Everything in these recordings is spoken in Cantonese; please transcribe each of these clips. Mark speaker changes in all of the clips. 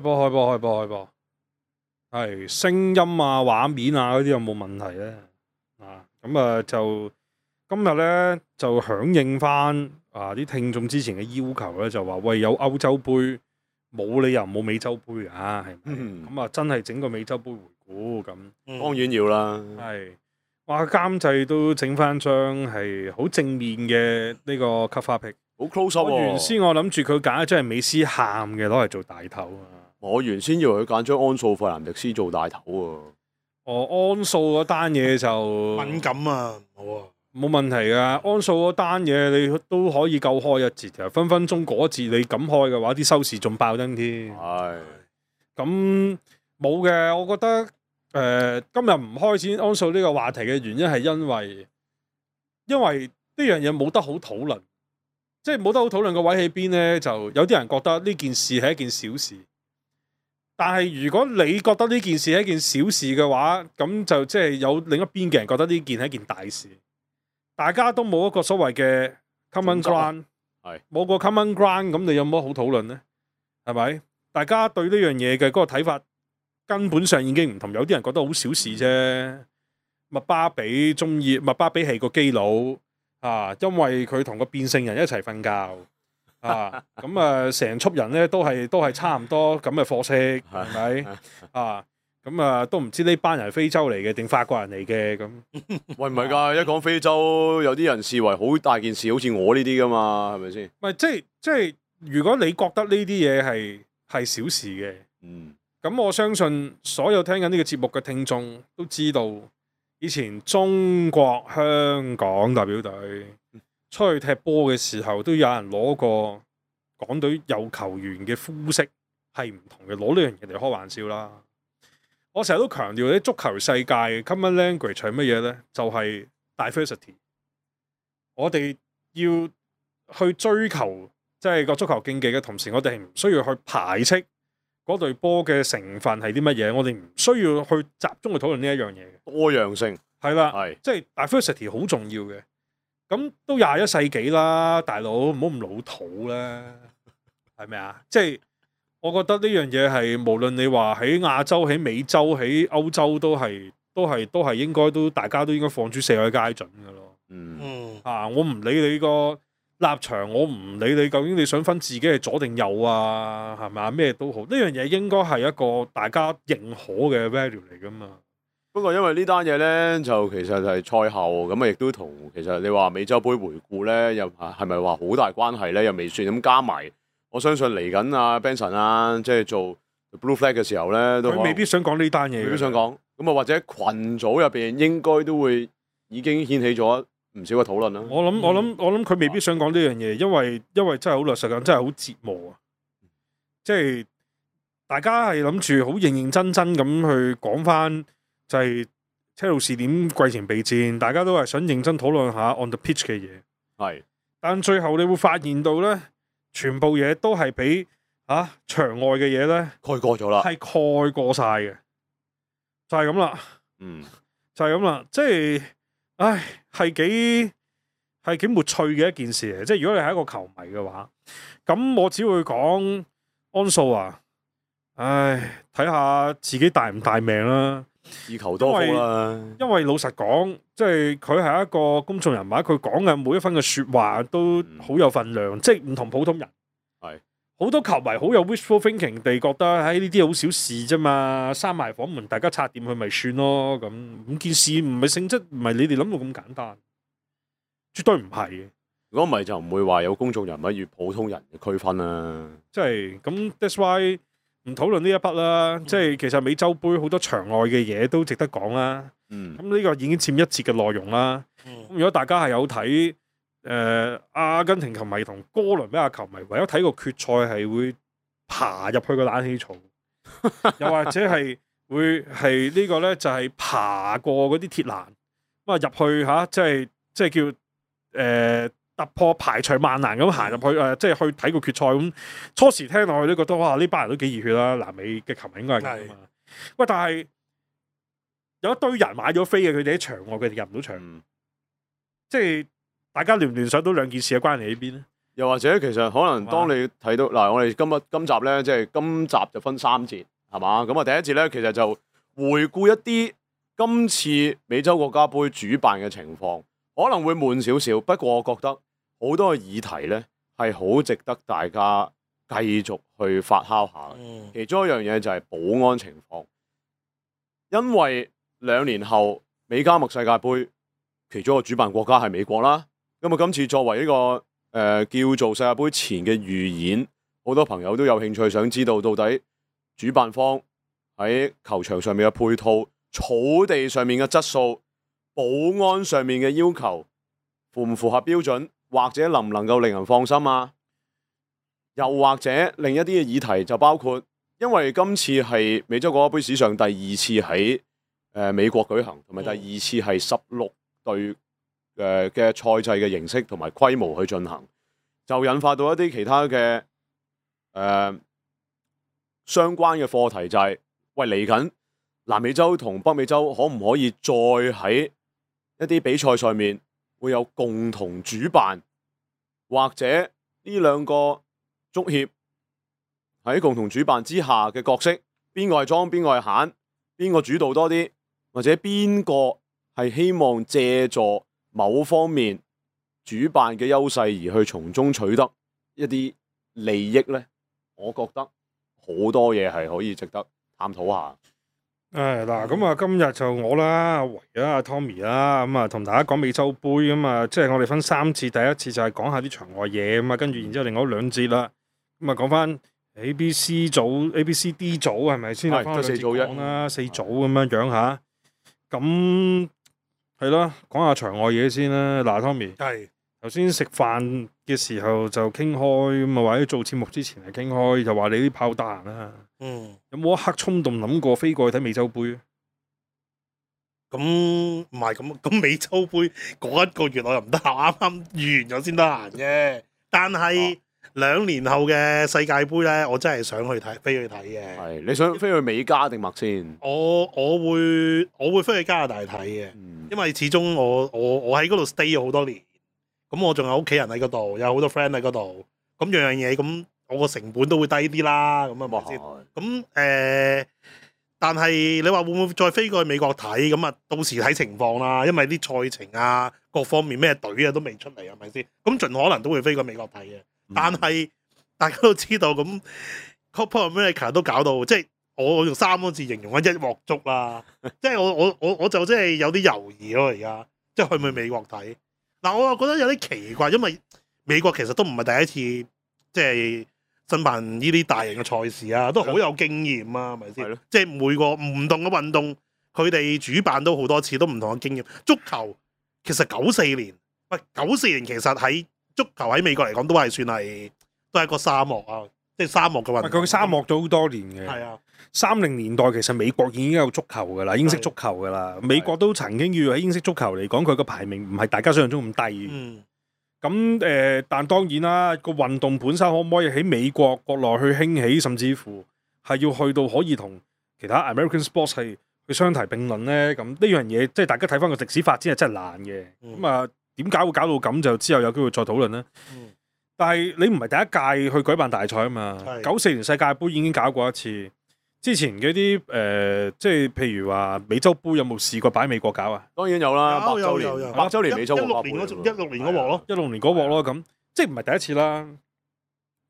Speaker 1: 開播，係聲音啊、畫面啊嗰啲有冇問題咧？咁就今日咧就響應翻啲聽眾之前嘅要求咧，就話喂有歐洲杯，冇理由冇美洲杯啊，係咪？咁真係整個美洲杯回顧咁，
Speaker 2: 當然要啦。
Speaker 1: 係話監製都整翻張係好正面嘅呢個 cover pic，
Speaker 2: 好 close up 喎。
Speaker 1: 原先我諗住佢揀一張係美斯喊嘅攞嚟做大頭啊。
Speaker 2: 我原先以為佢揀張安素費蘭迪斯做大頭喎。
Speaker 1: 安素嗰單嘢就
Speaker 3: 敏感啊，好啊，
Speaker 1: 冇問題噶。安素嗰單嘢你都可以夠開一節嘅，分分鐘嗰節你咁開嘅話，啲收視仲爆燈添。
Speaker 2: 係
Speaker 1: 咁冇嘅，我覺得今日唔開展安素呢個話題嘅原因係因為呢樣嘢冇得好討論，即係冇得好討論個位喺邊呢？就有啲人覺得呢件事係一件小事。但係如果你覺得呢件事係一件小事嘅話，咁就即係有另一邊嘅人覺得呢件係一件大事。大家都冇一個所謂嘅 common ground，冇個 common ground，咁你有乜好討論呢？係咪？大家對呢樣嘢嘅嗰個睇法根本上已經唔同。有啲人覺得好小事啫。麥巴比係個基佬因為佢同個變性人一齊瞓覺。成撮人咧都係差唔多咁嘅貨色，係咪？咁都唔知呢班人係非洲嚟嘅定法國人嚟嘅咁。
Speaker 2: 喂，唔係㗎，一講非洲，有啲人視為好大件事，好似我呢啲㗎嘛，係咪先？
Speaker 1: 唔係即係，如果你覺得呢啲嘢係小事嘅，咁我相信所有聽緊呢個節目嘅聽眾都知道，以前中國香港代表隊出去踢波嘅時候，都有人攞過港隊有球員嘅膚色係唔同嘅，攞呢樣嘢嚟開玩笑啦。我成日都強調啲足球世界 common language 係乜嘢呢？就係 diversity。我哋要去追求即係個足球競技嘅同時，我哋係唔需要去排斥嗰隊波嘅成分係啲乜嘢。我哋唔需要去集中去討論呢一樣嘢嘅
Speaker 2: 多樣性
Speaker 1: 係啦，即係 diversity 好重要嘅。咁都21世紀啦，大佬唔好咁老土啦，係咪啊？即係我覺得呢樣嘢係無論你話喺亞洲、喺美洲、喺歐洲都係應該都大家都應該放諸四海皆準㗎咯。我唔理你個立場，我唔理你究竟你想分自己係左定右啊，係咪啊？咩都好，呢樣嘢應該係一個大家認可嘅 value 嚟㗎嘛。
Speaker 2: 不過因為呢單嘢咧，就其實係賽後咁亦都同其實你話美洲杯回顧咧，又係咪話好大關係咧？又未算咁加埋。我相信嚟緊啊 Benson 啊，即係做 Blue Flag 嘅時候咧，都
Speaker 1: 佢未必想講呢單嘢，
Speaker 2: 未必想講。咁啊，或者群組入邊應該都會已經掀起咗唔少嘅討論啦。
Speaker 1: 我諗佢未必想講呢樣嘢，因為真係好老實講，真係好折磨啊！即係大家係諗住好認認真真咁去講翻。就係車路士點季前備戰，大家都係想認真討論下 on the pitch 嘅嘢。
Speaker 2: 係，
Speaker 1: 但最後你會發現到咧，全部嘢都係俾場外嘅嘢咧
Speaker 2: 蓋過咗啦，
Speaker 1: 係蓋過晒嘅，就係咁啦。就係咁啦，即係，係幾沒趣嘅一件事嚟。即係如果你係一個球迷嘅話，咁我只會講安素啊，睇下自己大唔大命啦。
Speaker 2: 自求多福啦。因
Speaker 1: 為老實講，即係佢係一個公眾人物，佢講嘅每一分嘅說話都好有分量，即係唔同普通人。
Speaker 2: 係
Speaker 1: 好多球迷好有 wishful thinking 地覺得，呢啲好小事啫嘛，閂埋房門，大家拆掂佢咪算咯。咁件事唔係性質，唔係你哋諗到咁簡單，絕對唔係嘅。
Speaker 2: 如果唔係就唔會話有公眾人物與普通人嘅區分啦。
Speaker 1: 即係咁 that's why。唔討論呢一筆啦，即係其實美洲杯好多場外嘅嘢都值得講啦。咁呢個已經佔一節嘅內容啦。如果大家係有睇阿根廷球迷同哥倫比亞球迷，唯有睇個決賽係會爬入去個冷氣槽，又或者係會係呢個咧就係爬過嗰啲鐵欄咁入去即係叫突破排除萬難咁行入去即係去睇個決賽咁。初時聽落去都覺得哇，呢班人都幾熱血啦！南美嘅球迷應該係咁啊。喂，但係有一堆人買咗飛嘅，佢哋喺場外，佢哋入唔到場。即係大家聯唔聯想到兩件事嘅關係喺邊咧？
Speaker 2: 又或者其實可能當你睇到嗱，我哋今集咧，即係今集就分3節，係嘛？咁啊，第一節咧，其實就回顧一啲今次美洲國家杯主辦嘅情況，可能會悶少少。不過我覺得好多嘅議題咧係好值得大家繼續去發酵下。其中一樣嘢就係保安情況，因為2年後美加墨世界盃其中一個主辦國家係美國啦。咁啊，今次作為呢個叫做世界盃前嘅預演，好多朋友都有興趣想知道到底主辦方喺球場上面嘅配套、草地上面嘅質素、保安上面嘅要求符唔符合標準，或者能唔能夠令人放心啊？又或者另一啲嘅議題就包括，因為今次係美洲國家盃史上第2次喺美國舉行，同埋第2次係16隊嘅賽制嘅形式同埋規模去進行，就引發到一啲其他嘅相關嘅課題，就係喂，嚟緊南美洲同北美洲可唔可以再喺一啲比賽上面會有共同主辦，或者呢兩個足協喺共同主辦之下嘅角色，邊個係莊，邊個係閒，邊個主導多啲，或者邊個係希望借助某方面主辦嘅優勢而去從中取得一啲利益呢？我覺得好多嘢係可以值得探討下。
Speaker 1: 嗱，咁啊，今日就我啦、阿維啦、阿 Tommy 啦，咁啊，同大家講美洲杯咁啊，即係我哋分3次，第一次就係講下啲場外嘢咁啊，跟住然之後另外2節啦，咁啊講翻 A、B、C 組、A、B、C、D 組係咪先？
Speaker 2: 係得4組啫，
Speaker 1: 講啦，4組咁樣樣嚇，咁係咯，講下場外嘢先啦。嗱，Tommy
Speaker 3: 係
Speaker 1: 頭先食飯嘅時候就傾開咁啊，或者做節目之前係傾開，就話你啲炮得閒啦。有冇一刻衝動諗過飛過去睇美洲杯？
Speaker 3: 咁唔係咁美洲杯嗰1個月我又唔得閒，啱啱完咗先得閒啫。但係2年後嘅世界盃咧，我真係想去睇，飛去睇嘅。
Speaker 2: 係你想飛去美加定墨先？
Speaker 3: 我會飛去加拿大睇嘅，因為始終我喺嗰度 stay 咗好多年，咁我仲有屋企人喺嗰度，有好多 friend 喺嗰度，咁樣嘢咁。我個成本都會低啲啦，咁啊咪先。咁但係你話會唔會再飛過去美國睇？咁啊，到時睇情況啦，因為啲賽程啊、各方面咩隊啊都未出嚟，係咪先？咁盡可能都會飛過美國睇嘅。但係大家都知道，咁 Copa America 都搞到，即係我用3個字形容一鑊粥啦。即係我就真係有啲猶豫咯，而家即係去唔去美國睇？嗱，我又覺得有啲奇怪，因為美國其實都唔係第一次，即係申辦呢啲大型嘅賽事啊，都好有經驗啊，係咪先？即係每個唔同嘅運動，佢哋主辦都好多次，都唔同嘅經驗。足球其實94年，喂94年其實喺足球喺美國嚟講都係算係都係一個沙漠啊，即係沙漠嘅運動。
Speaker 1: 佢沙漠咗好多年嘅。
Speaker 3: 係啊
Speaker 1: ，30年代其實美國已經有足球㗎啦，英式足球㗎啦。美國都曾經要喺英式足球嚟講，佢個排名唔係大家想象中咁低。咁但當然啦，個運動本身可唔可以喺美國國內去興起，甚至乎係要去到可以同其他 American sports 係去相提並論呢？咁呢樣嘢即係大家睇翻個歷史發展係真係難嘅。咁啊，點解會搞到咁？就之後有機會再討論啦。但係你唔係第一屆去舉辦大賽啊嘛。94年世界盃已經搞過一次。之前嗰啲即係譬如話美洲杯有冇試過擺美國搞啊？
Speaker 2: 當然有啦，100週年美洲
Speaker 3: 國家杯16年嗰鑊咯
Speaker 1: ，16年嗰鑊咯，咁即係唔係第一次啦？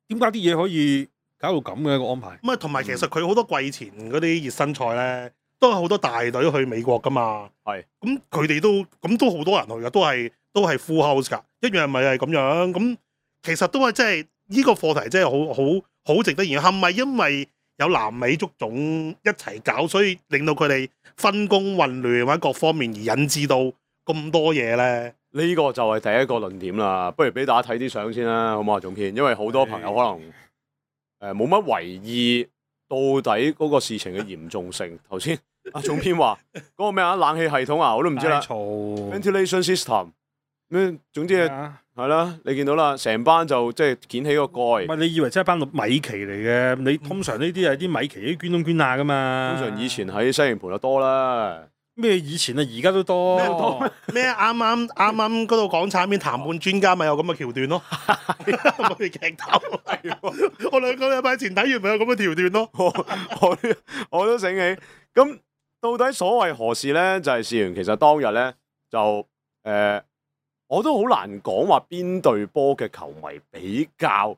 Speaker 1: 點解啲嘢可以搞到咁嘅一個安排？
Speaker 3: 咁啊，同埋其實佢好多季前嗰啲熱身賽咧，都係好多大隊去美國噶嘛。
Speaker 2: 係
Speaker 3: 咁佢哋都好多人去噶，都係 full house 噶，一樣咪係咁樣。咁其實都係即係呢個課題真係好值得研究，係咪因為有南美足總一齊搞，所以令到佢哋分工混亂或者各方面而引致到咁多嘢咧？
Speaker 2: 呢個就係第一個論點啦。不如俾大家睇啲相先啦，好唔好啊，總編？因為好多朋友可能冇乜為意到底嗰個事情嘅嚴重性。頭先阿總編話嗰個咩啊，冷氣系統啊，我都唔知啦。Ventilation system 咩？總之係啦，你見到啦，成班就即係撿起個蓋。
Speaker 1: 唔係你以為真係班米奇嚟嘅？你通常呢啲係啲米奇啲捐東捐亞噶嘛？
Speaker 2: 通常以前喺西營盤就多啦。
Speaker 1: 咩以前啊，而家都多。
Speaker 3: 咩啱啱嗰度港產片談判專家咪有咁嘅橋段咯，我哋劇透。我兩個禮拜前睇完咪有咁嘅橋段咯。
Speaker 2: 我都醒起。咁到底所謂何事咧？就係事緣其實當日咧就我都好難講話邊隊波嘅球迷比較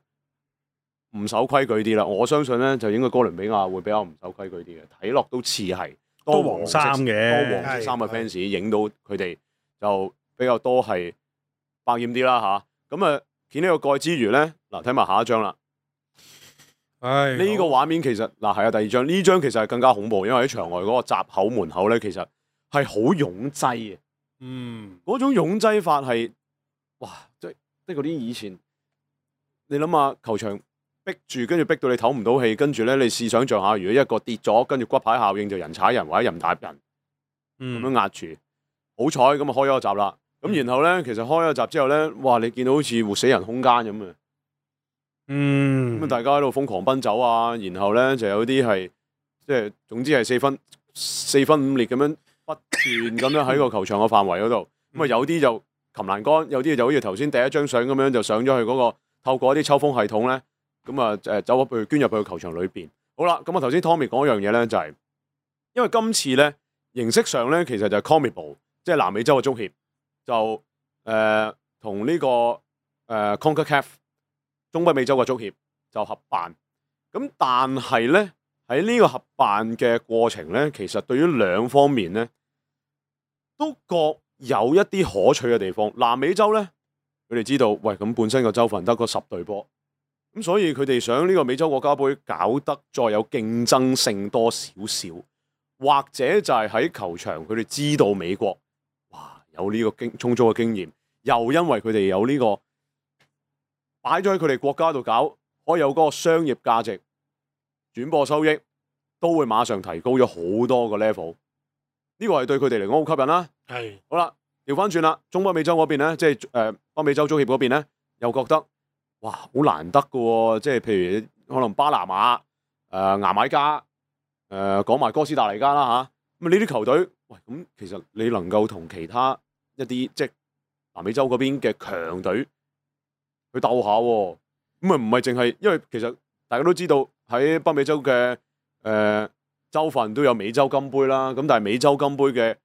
Speaker 2: 唔守規矩啲啦。我相信咧就應該哥倫比亞會比較唔守規矩啲嘅，睇落都似係
Speaker 1: 多黃衫嘅，
Speaker 2: 多黃色衫嘅 fans 影到佢哋就比較多係百厭啲啦吓。咁啊，見呢個蓋之餘咧，嗱睇埋下一張啦。
Speaker 1: 唉，
Speaker 2: 呢個畫面其實嗱係啊，第二張呢張其實係更加恐怖，因為喺場外嗰個閘口門口咧，其實係好擁擠嘅。嗰種擁擠法係哇，即係嗰啲以前你諗下球場逼住，跟住逼到你唞唔到氣，跟住咧你試想像下，如果一個跌咗，跟住骨牌效應就人踩人或者人打人，咁樣壓住，好彩咁啊開咗個閘啦。咁然後咧，其實開咗個閘之後咧，哇！你見到好似活死人空間咁啊！咁大家喺度瘋狂奔走啊，然後咧就有啲係即係總之係四分五裂咁樣不斷咁樣喺個球場嘅範圍嗰度。咁啊有啲就擒欄杆，有啲就好似頭先第一張相咁樣就上咗去嗰個透過一啲抽風系統咧，咁啊走入去捐入去球場裏邊。好啦，咁啊頭先 Tommy 講一樣嘢咧，就係因為今次咧形式上咧其實就係 CONMEBOL，即係南美洲嘅足協就同呢個CONCACAF。中北美洲嘅足協就合辦，咁但係咧喺呢個合辦嘅過程咧，其實對於兩方面咧都各有一啲可取嘅地方。南美洲咧，佢哋知道，喂咁本身個州份得個10隊波，咁所以佢哋想呢個美洲國家盃搞得再有競爭性多少少，或者就係喺球場佢哋知道美國哇有呢個充足嘅經驗，又因為佢哋有呢個。擺咗喺佢哋國家度搞，可以有嗰個商業價值、轉播收益，都會馬上提高咗好多個 level。呢個係對佢哋嚟講好吸引啦。
Speaker 3: 係
Speaker 2: 好啦，調翻轉啦，中北美洲嗰邊咧，即係北美洲足協嗰邊咧，又覺得哇好難得㗎喎，即係譬如可能巴拿馬、牙買加、講埋哥斯達黎加啦吓，咁呢啲球隊，喂咁其實你能夠同其他一啲即係南美洲嗰邊嘅強隊。去鬥下喎，咁啊唔係淨係，因為其實大家都知道喺北美洲嘅州份都有美洲金杯啦，咁但係美洲金杯嘅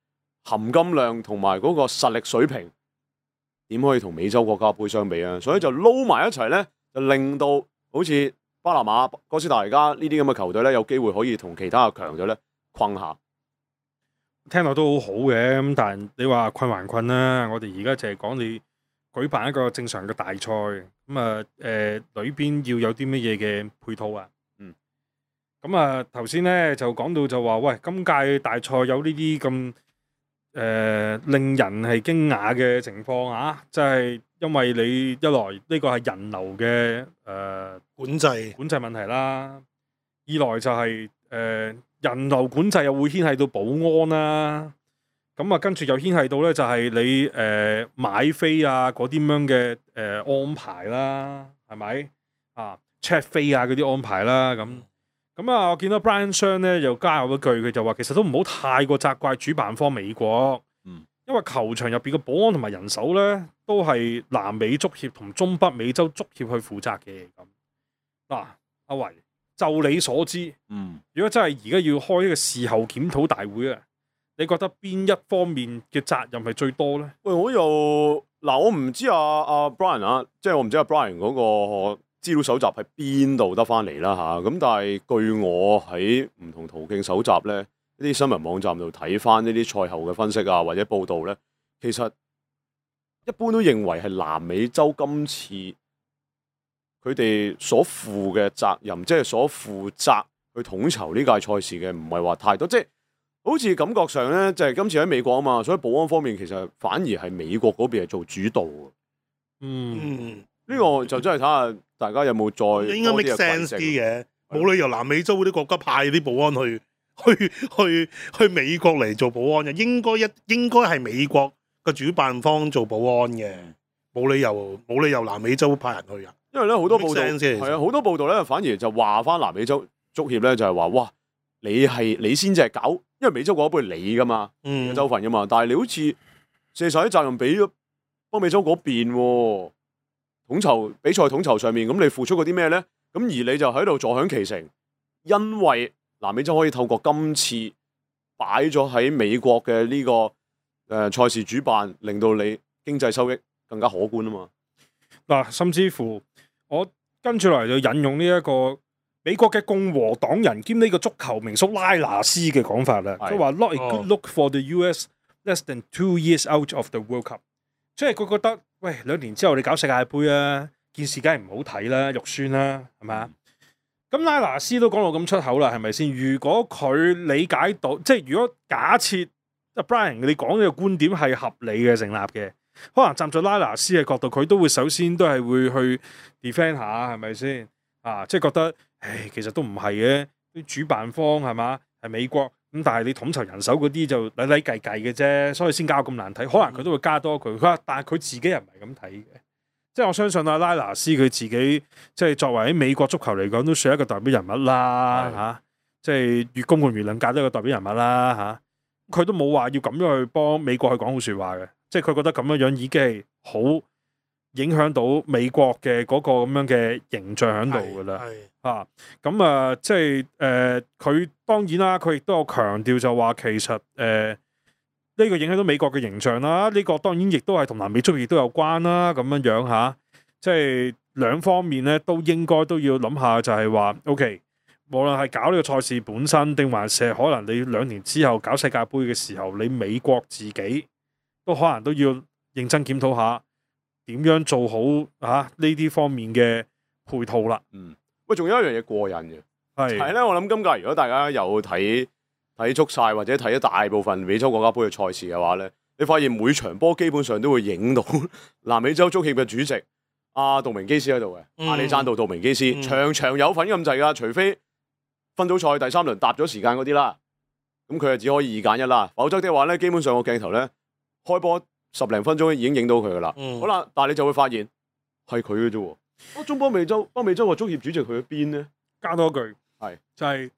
Speaker 2: 含金量同埋嗰個實力水平點可以同美洲國家杯相比啊？所以就撈埋一齊咧，就令到好似巴拿馬、哥斯達黎加呢啲咁嘅球隊咧，有機會可以同其他嘅強隊咧困下。
Speaker 1: 聽落都好好嘅，咁但係你話困還困啦，我哋而家就係講你。舉辦一個正常嘅大賽，咁啊裏邊要有啲乜嘢嘅配套啊？咁啊頭先咧就講到就話，喂，今屆大賽有呢啲咁令人係驚訝嘅情況啊！即係因為你一來呢個係人流嘅
Speaker 3: 管制
Speaker 1: 問題啦，二來就係人流管制又會牽係到保安啦。咁啊，跟住又牽係到咧，就係你買飛啊嗰啲咁樣嘅安排啦，係咪啊 check 飛啊嗰啲安排啦，咁啊，我見到 Brian Shan 咧又加入一句，佢就話其實都唔好太過責怪主辦方美國，因為球場入邊嘅保安同埋人手咧都係南美足協同中北美洲足協去負責嘅。咁嗱，阿維就你所知，如果真係而家要開一個事後檢討大會啊？你覺得邊一方面嘅責任係最多咧？
Speaker 2: 喂，我唔知阿 Brian 啊，即係我唔知阿 Brian 嗰個資料搜集喺邊度得翻嚟啦嚇。咁但係據我喺唔同途徑搜集咧，呢啲新聞網站度睇翻呢啲賽後嘅分析啊，或者報導咧，其實一般都認為係南美洲今次佢哋所負嘅責任，即係所負責去統籌呢屆賽事嘅，唔係話太多，即係。好似感覺上咧，就係今次喺美國啊嘛，所以保安方面其實反而係美國嗰邊係做主導嘅。呢個就真係睇下大家有冇再
Speaker 3: 應該 make sense 啲嘅，冇理由南美洲嗰啲國家派啲保安去美國嚟做保安嘅，應該係美國嘅主辦方做保安嘅，冇理由南美洲派人去啊。
Speaker 2: 因為咧好多報道係啊，好多報道咧反而就話翻南美洲足協咧就係話哇，你先至係搞。因為美洲國家杯係你噶嘛，
Speaker 3: 嗯，
Speaker 2: 州份噶嘛，但係你好似卸晒啲責任俾咗北美洲嗰邊喎，統籌比賽統籌上面，咁你付出過啲咩咧？咁而你就喺度坐享其成，因為南美洲可以透過今次擺咗喺美國嘅呢個賽事主辦，令到你經濟收益更加可觀啊嘛。
Speaker 1: 嗱，甚至乎我跟住落嚟就引用呢一個美國嘅共和黨人兼呢個足球名宿拉拿斯嘅講法啦。佢話 Not a good look for the US less than 2 years out of the World Cup， 即係佢覺得喂2年之後你搞世界盃啊，件事梗係唔好睇啦，肉酸啦，係咪啊？咁拉拿斯都講到咁出口啦，係咪先？如果佢理解到，即係如果假設阿 Brian 你講呢個觀點係合理嘅成立嘅，可能站在拉拿斯嘅角度，佢都會首先都係會去 defend 下，係咪先？啊，即係覺得，其實都唔係嘅，啲主辦方係嘛係美國咁，但係你統籌人手嗰啲就禮禮計計嘅啫，所以先搞咁難睇。可能佢都會加多句，佢話，但係佢自己又唔係咁睇嘅。即係我相信阿拉拿斯佢自己，即係作為喺美國足球嚟講，都算一個代表人物啦嚇。即係越公共輿論界都係一個代表人物啦嚇。佢都冇話要咁樣去幫美國去講好説話嘅，即係佢覺得咁樣樣已經係好影響到美國嘅嗰個咁樣嘅形象喺度㗎啦。啊，咁啊，即係佢當然啦，佢亦都有強調就話其實呢個影響到美國嘅形象啦，呢個當然亦都係同南美足亦都有關啦，咁樣樣嚇，即係兩方面咧都應該都要諗下，就係話 OK， 無論係搞呢個賽事本身，定還是可能你2年之後搞世界盃嘅時候，你美國自己都可能都要認真檢討下點樣做好呢啲方面嘅配套啦。
Speaker 2: 喂，仲有一樣嘢過癮嘅，係咧，我諗今屆如果大家有睇足晒或者睇咗大部分美洲國家杯嘅賽事嘅話咧，你發現每場波基本上都會影到南美洲足協嘅主席阿杜明基斯喺度嘅，阿里山道杜明基斯，場有份咁滯噶，除非分組賽第3輪搭咗時間嗰啲啦，咁佢就只可以2揀1啦，否則的話咧，基本上個鏡頭咧開波10零分鐘已經影到佢噶啦。好啦，但係你就會發現係佢嘅啫喎，中北美洲個足協主席去咗邊咧？
Speaker 1: 加多句係就係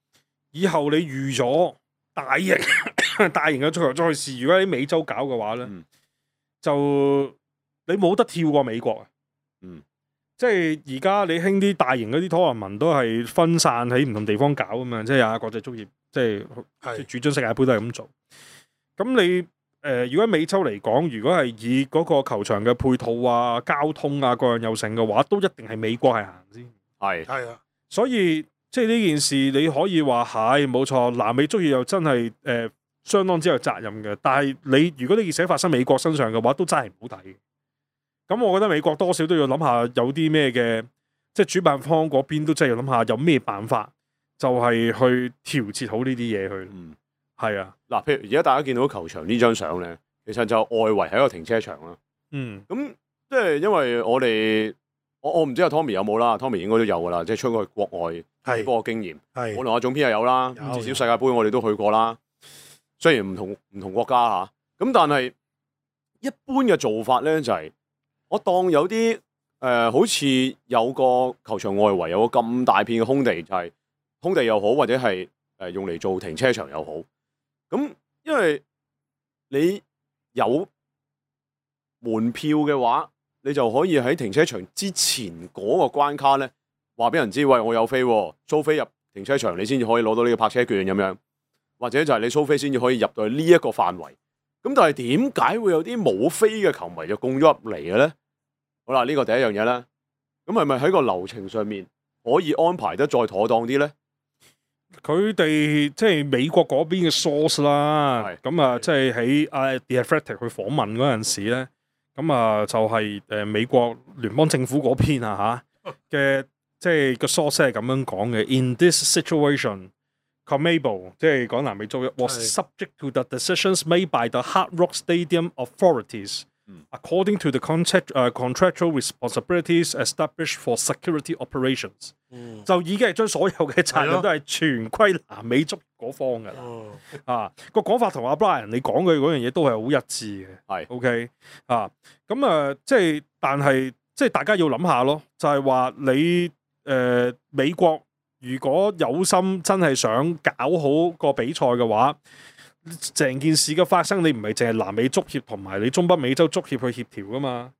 Speaker 1: 以後你預咗大型嘅足球賽事，如果喺美洲搞嘅話咧，就你冇得跳過美國啊！即係而家你興啲大型嗰啲拖文都係分散喺唔同地方搞啊嘛，即係國際足協即係主張世界盃都係咁做。咁你如果喺美洲嚟講，如果係以嗰個球場嘅配套啊、交通啊各樣有成嘅話，都一定係美國係行先。
Speaker 3: 係啊，
Speaker 1: 所以即係呢件事你可以話係冇錯，南美足協又真係相當之有責任嘅。但係你如果呢件事發生美國身上嘅話，都真係唔好睇嘅。咁我覺得美國多少都要諗下有啲咩嘅，即係主辦方嗰邊都真係要諗下有咩辦法，就係去調節好呢啲嘢去。係啊，
Speaker 2: 嗱，譬如而家大家見到球場呢張相咧，其實就外圍係一個停車場啦。咁即係因為我唔知阿 Tommy 有冇啦 ，Tommy 應該都有噶啦，即係出過去國外睇波嘅經驗。我同阿總編又有啦，至少世界盃我哋都去過啦。雖然唔同國家嚇，咁但係一般嘅做法咧就係我當有啲好似有個球場外圍有個咁大片嘅空地，就係空地又好，或者係用嚟做停車場又好。咁因為你有門票嘅話，你就可以喺停車場之前嗰個關卡咧，話俾人知，喂，我有飛喎，租飛入停車場，你先至可以攞到呢個泊車券咁樣，或者就係你租飛先至可以入到去呢一個範圍。咁但係點解會有啲冇飛嘅球迷就供咗入嚟嘅咧？好啦，呢個第一樣嘢啦。咁係咪喺個流程上面可以安排得再妥當啲咧？
Speaker 1: 佢哋即係美國嗰邊嘅 source 啦，咁啊，即係喺The Athletic 去訪問嗰陣時咧，咁啊就係美國聯邦政府嗰邊嘅，即係個 source 係咁樣講嘅。In this situation, CONMEBOL 即係講南美洲 was subject to the decisions made by the Hard Rock Stadium authorities, according to the contractual responsibilities established for security operations。就已經係將所有嘅責任都係全歸南美足嗰方㗎啦。個講法同阿 Brian 你講嘅嗰樣嘢都係好一致嘅。OK 咁即係但係即係大家要諗下咯，就係話你美國如果有心真係想搞好個比賽嘅話，成件事嘅發生，你唔係淨係南美足協同埋你中北美洲足協去協調噶嘛？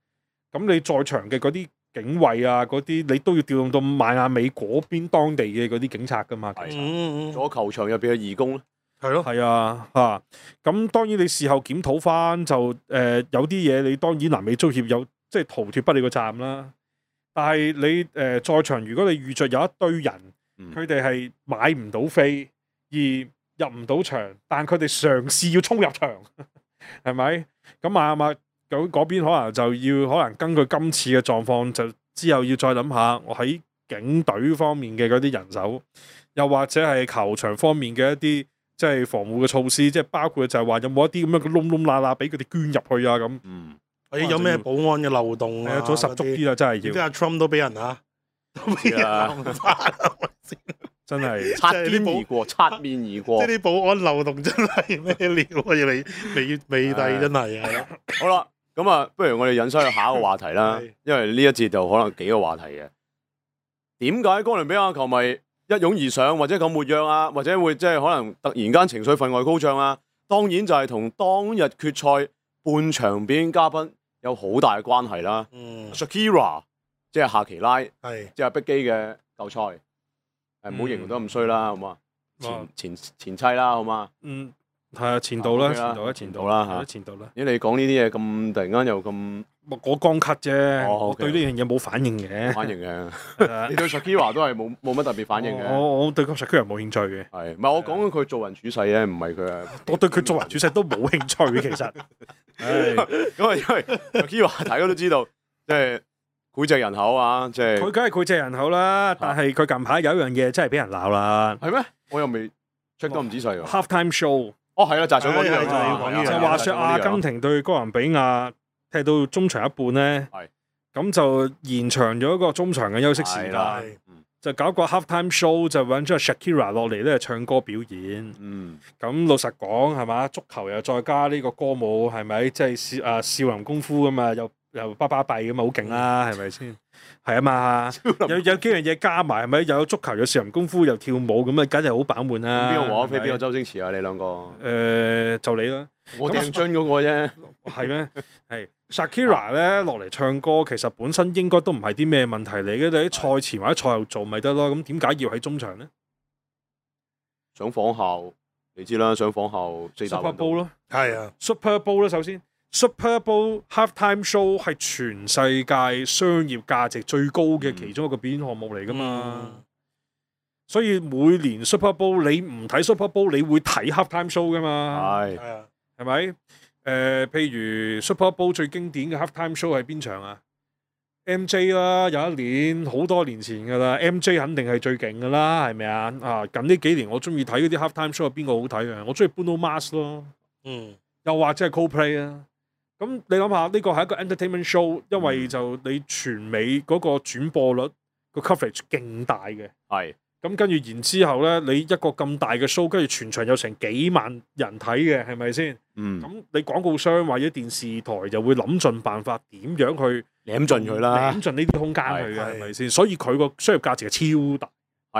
Speaker 1: 咁你在場嘅嗰啲警衛啊，嗰啲你都要調用到邁阿密嗰邊當地嘅嗰啲警察噶嘛？其實
Speaker 2: 咗球場入邊嘅義工咧，
Speaker 3: 係咯，
Speaker 1: 係啊嚇。咁當然你事後檢討翻就有啲嘢你當然南美足協有即係逃脫不了個責任啦。但係你在場，如果你遇着有一堆人，佢哋係買唔到飛而入唔到場，但佢哋嘗試要衝入場，係咪？咁邁阿密嗰邊可能就要可能根據今次嘅狀況，就之後要再諗下，我喺警隊方面嘅嗰啲人手，又或者係球場方面嘅一啲即係防護嘅措施，即係包括就係話有冇一啲咁樣嘅窿窿罅罅俾佢哋捐入去啊咁。
Speaker 3: 或者有咩保安嘅漏洞啊？
Speaker 1: 做十足啲啦，真係要。
Speaker 3: 即係阿 Trump 都俾人啊，都俾人暗殺，
Speaker 1: 真係
Speaker 2: 擦邊而過，擦面而過。
Speaker 3: 即係啲保安漏洞真係咩料啊！要你美帝真係啊！
Speaker 2: 好啦，咁啊，不如我哋引申去下一個話題啦，因為呢一節就可能幾個話題嘅。點解哥倫比亞球迷一擁而上，或者咁活躍啊，或者會即係可能突然間情緒分外高漲啊？當然就係同當日決賽半場表演嘉賓有好大嘅關係啦。Shakira 即係夏奇拉，即係碧基嘅舊賽。唔好形容得咁衰啦，好嘛？前妻啦，好嘛？
Speaker 1: 係啊，前度啦，前度啦嚇，前度啦。
Speaker 2: 咦，你講呢啲嘢咁突然間又咁，
Speaker 1: 我剛咳啫，我對呢樣嘢冇反應嘅。
Speaker 2: 反應嘅，你對 Shakira 都係冇乜特別反應嘅。
Speaker 1: 我對 Shakira 冇興趣嘅。
Speaker 2: 係，唔係我講緊佢做人處世咧，唔係佢啊。
Speaker 1: 我對佢做人處世都冇興趣，其實。
Speaker 2: 咁啊，因為 Shakira 大家都知道，即係膾炙人口啊！即係
Speaker 1: 佢梗係膾炙人口啦，但係佢近排有一樣嘢真係俾人鬧啦。
Speaker 2: 係咩？我又未 check 得咁仔細喎。
Speaker 1: Halftime show。
Speaker 2: 哦，係啦，就係想講呢樣，
Speaker 1: 就話說阿根廷對哥倫比亞踢到中場一半咧，咁就延長咗一個中場嘅休息時間，就搞個 halftime show，就揾咗阿 Shakira 落嚟咧唱歌表演。咁老實講係嘛，足球又再加呢個歌舞係咪？即係少林功夫㗎嘛，又巴閉咁嘛，好勁啦，係咪先？係啊嘛，有幾樣嘢加埋係咪？又有足球，有少林功夫，又跳舞咁啊，梗係好飽滿啦。
Speaker 2: 邊個王菲，邊個周星馳啊？你兩個？
Speaker 1: 就你啦。
Speaker 2: 我鄭津嗰個啫。
Speaker 1: 係咩？係 Shakira 咧落嚟唱歌，其實本身應該都唔係啲咩問題嚟嘅。你喺賽前或者賽後做咪得咯？咁點解要喺中場咧？
Speaker 2: 想仿效，你知啦，想仿效
Speaker 1: Super Bowl 咯。
Speaker 3: 係啊
Speaker 1: ，Super Bowl 啦，首先。Super Bowl Halftime Show 係全世界商業價值最高嘅其中一個表演項目嚟㗎嘛，所以每年 Super Bowl 你唔睇 Super Bowl 你會睇 Halftime Show 㗎嘛，係咪？譬如 Super Bowl 最經典嘅 Halftime Show 係邊場啊？MJ 啦，有一年好多年前㗎啦 ，MJ 肯定係最勁㗎啦，係咪啊？近呢幾年我中意睇嗰啲 Halftime Show 係邊個好睇啊？我中意 Bruno Mars 咯，又或者係 Coldplay 啊。咁你諗下，呢個係一個 entertainment show，因為就你全美嗰個轉播率個 coverage 勁大嘅，
Speaker 2: 係。
Speaker 1: 咁跟住然之後咧，你一個咁大嘅 show，跟住全場有成幾萬人睇嘅，係咪先？咁你廣告商或者電視台就會諗盡辦法點樣去
Speaker 2: 舐盡佢啦，
Speaker 1: 舐盡呢啲空間去嘅，係咪先？所以佢個商業價值係超大。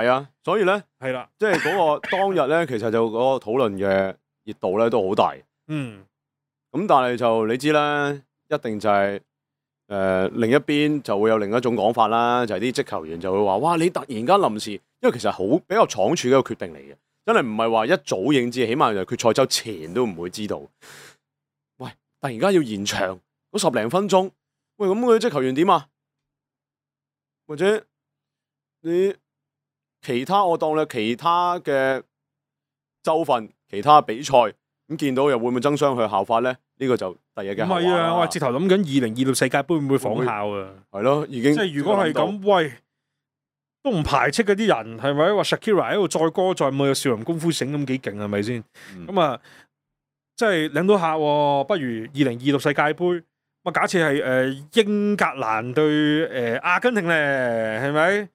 Speaker 1: 係
Speaker 2: 啊，所以咧
Speaker 1: 係啦，
Speaker 2: 即係嗰個當日咧，其實就嗰個討論嘅熱度咧都好大。咁但係就你知啦，一定就係另一邊就會有另一種講法啦，就係啲職球員就會話：哇！你突然間臨時，因為其實好比較倉促嘅一個決定嚟嘅，真係唔係話一早已經知，起碼就決賽周前都唔會知道。喂！突然間要延長嗰10零分鐘，喂咁佢職球員點啊？或者你其他我當你其他嘅州份、其他比賽。咁見到又會唔會爭相去效法咧？呢個就第日嘅後話啦。唔係啊，
Speaker 1: 我係直頭諗緊2026世界盃會唔會仿效啊？係
Speaker 2: 咯，已經
Speaker 1: 即係如果係咁，喂，都唔排斥嗰啲人係咪？話 Shakira 喺度載歌載舞，有少林功夫醒咁幾勁係咪先？咁啊，即係領到客喎，不如2026世界盃，我假設係英格蘭對阿根廷咧，係咪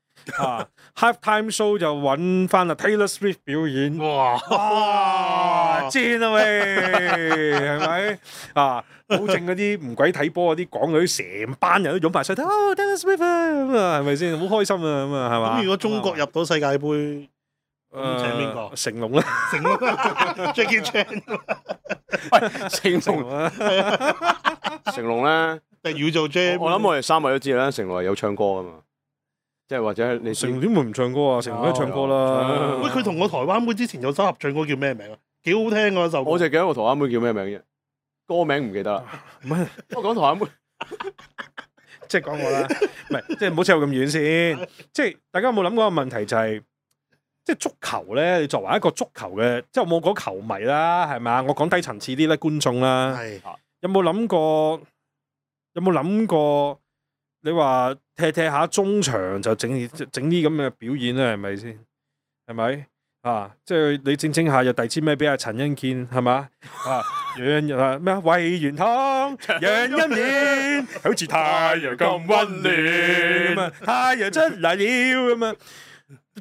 Speaker 1: ？Halftime show 就揾翻啦 Taylor Swift 表演，哇正啊喂，係咪保證嗰啲唔鬼睇波嗰啲港女成班人都湧埋晒睇Taylor Swift 啊，係咪先？好開心啊咁啊，係嘛？
Speaker 3: 咁如果中國入到世界盃，咁請邊個？
Speaker 1: 成龍啦，
Speaker 3: 成龍 Jackie Chan
Speaker 2: 喂，成龍
Speaker 1: 啊，
Speaker 2: 成龍咧，
Speaker 3: 定要做 Jam？
Speaker 2: 我諗我哋三位都知啦，成龍係有唱歌噶嘛，即係或者你
Speaker 1: 成龍點會唔唱歌啊？成龍都唱歌啦。
Speaker 3: 喂，佢同個台灣妹之前有首合唱歌叫咩名啊？幾好聽嗰首歌。
Speaker 2: 我就記得個台灣妹叫咩名啫，歌名唔記得啦。
Speaker 1: 唔係，
Speaker 2: 我講台灣妹，
Speaker 1: 即係講我啦，唔係，即係唔好扯我咁遠先。即係大家有冇諗過個問題就係，即係足球咧，你作為一個足球嘅，即係我冇講球迷啦，係咪啊？我講低層次啲咧，觀眾啦，
Speaker 3: 係
Speaker 1: 有冇諗過？有冇諗過？你話踢下中場就整啲咁嘅表演咧，係咪先？係咪啊？即係你整下又遞支咩俾阿陳欣健係嘛？啊，讓啊咩啊？為元湯讓一面，好似太陽咁溫暖咁啊！太陽出嚟了咁啊！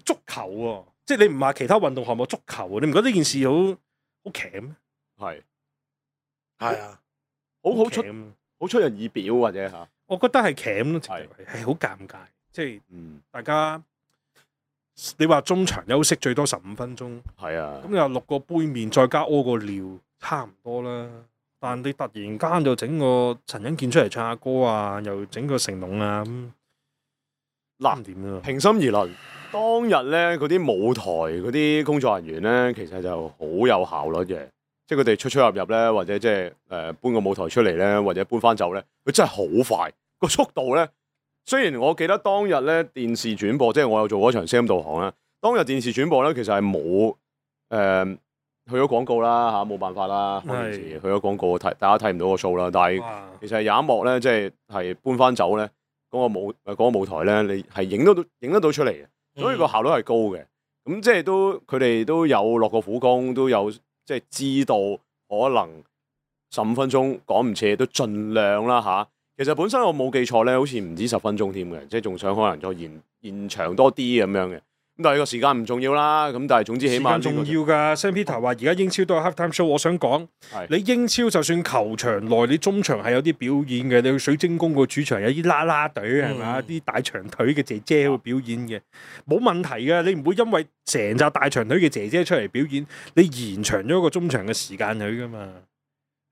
Speaker 1: 足球喎，即係你唔話其他運動項目，足球你唔覺得呢件事好鉗咩？
Speaker 3: 係啊，
Speaker 2: 好出
Speaker 1: 鉗
Speaker 2: 好出人意表或者嚇，
Speaker 1: 我覺得係鉗咯，
Speaker 2: 係
Speaker 1: 係好尷尬，即係
Speaker 2: 嗯，
Speaker 1: 大家你話中場休息最多15分鐘，
Speaker 2: 係啊
Speaker 1: 咁，你話6個杯麵再加屙個尿，差唔多啦。但你突然間就整個陳欣健出嚟唱下歌啊，又整個成龍啊咁，
Speaker 2: 嗱
Speaker 1: 點啊？
Speaker 2: 平心而論，當日咧嗰啲舞台嗰啲工作人員咧，其實就好有效率嘅，即係佢哋出入入咧，或者即係搬個舞台出嚟咧，或者搬翻走咧，佢真係好快個速度咧。雖然我記得當日咧電視轉播，即係我有做嗰場聲音導航啦，當日電視轉播咧其實係冇去咗廣告啦嚇，冇辦法啦，開電視去咗廣告睇，大家睇唔到個 show 啦。但係
Speaker 1: 哇
Speaker 2: 其實有一幕咧，即係搬翻走咧，嗰個舞台咧，你係影得到出嚟嘅，所以個效率係高嘅。咁即係佢哋都有落過苦功，都有即係知道可能15分鐘趕唔切，都盡量啦嚇。其實本身我冇記錯咧，好似唔止10分鐘添嘅，即係仲想可能再延長多啲咁樣嘅。咁但係個時間唔重要啦。咁但係總之起碼
Speaker 1: 時間重要㗎。Sam Peter 話而家英超都有 halftime show，我想講你英超就算球場內你中場係有啲表演嘅，你去水晶宮個主場有啲啦啦隊係咪？啲大長腿嘅姐姐會表演嘅，冇問題嘅。你唔會因為成紮大長腿嘅姐姐出嚟表演，你延長咗個中場嘅時間佢㗎嘛？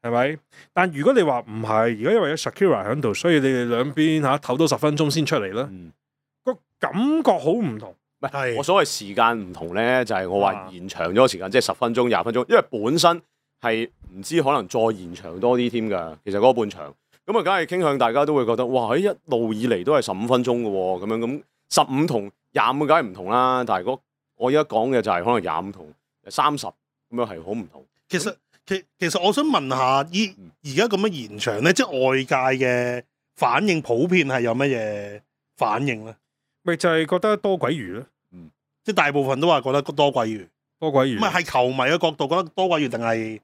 Speaker 1: 係咪？但如果你話唔係，而家因為有 Shakira 喺度，所以你哋兩邊唞多10分鐘先出嚟啦，個感覺好唔同。
Speaker 2: 唔係我所謂時間唔同咧，就係我話延長咗個時間，即係10分鐘、20分鐘，因為本身係唔知可能再延長多啲添㗎。其實嗰個半場咁啊，梗係傾向大家都會覺得哇！一路以嚟都係15分鐘嘅喎，咁樣咁15同25梗係唔同啦。但係我而家講嘅就係可能25同30咁樣係好唔同。
Speaker 3: 其實我想問下，而家咁樣延長咧，即係外界嘅反應普遍係有乜嘢反應咧？
Speaker 1: 咪就係覺得多鬼魚咯，
Speaker 3: 即係大部分都話覺得多鬼魚，
Speaker 1: 多鬼魚。
Speaker 3: 唔係球迷嘅角度覺得多鬼魚，定係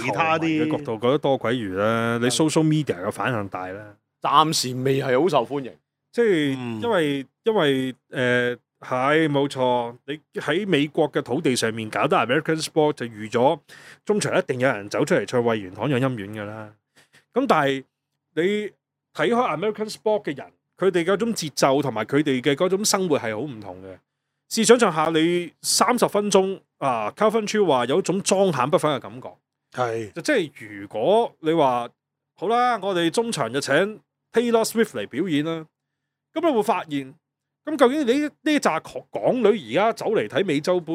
Speaker 3: 其他啲
Speaker 1: 嘅角度覺得多鬼魚啦？你 social media 嘅反響大啦，
Speaker 2: 暫時未係好受歡迎，
Speaker 1: 即係因為係冇錯，你喺美國嘅土地上面搞得 American sport 就預咗中場一定有人走出嚟唱喂元堂養陰丸㗎啦。咁但係你睇開 American sport 嘅人，佢哋嗰種節奏同埋佢哋嘅嗰種生活係好唔同嘅。試想像下你30分鐘啊 Calvin Chiu 話有一種莊閒不分嘅感覺，
Speaker 3: 係
Speaker 1: 就即係如果你話好啦，我哋中場就請 Taylor Swift 嚟表演啦，咁你會發現。咁究竟你呢扎港女而家走嚟睇美洲杯，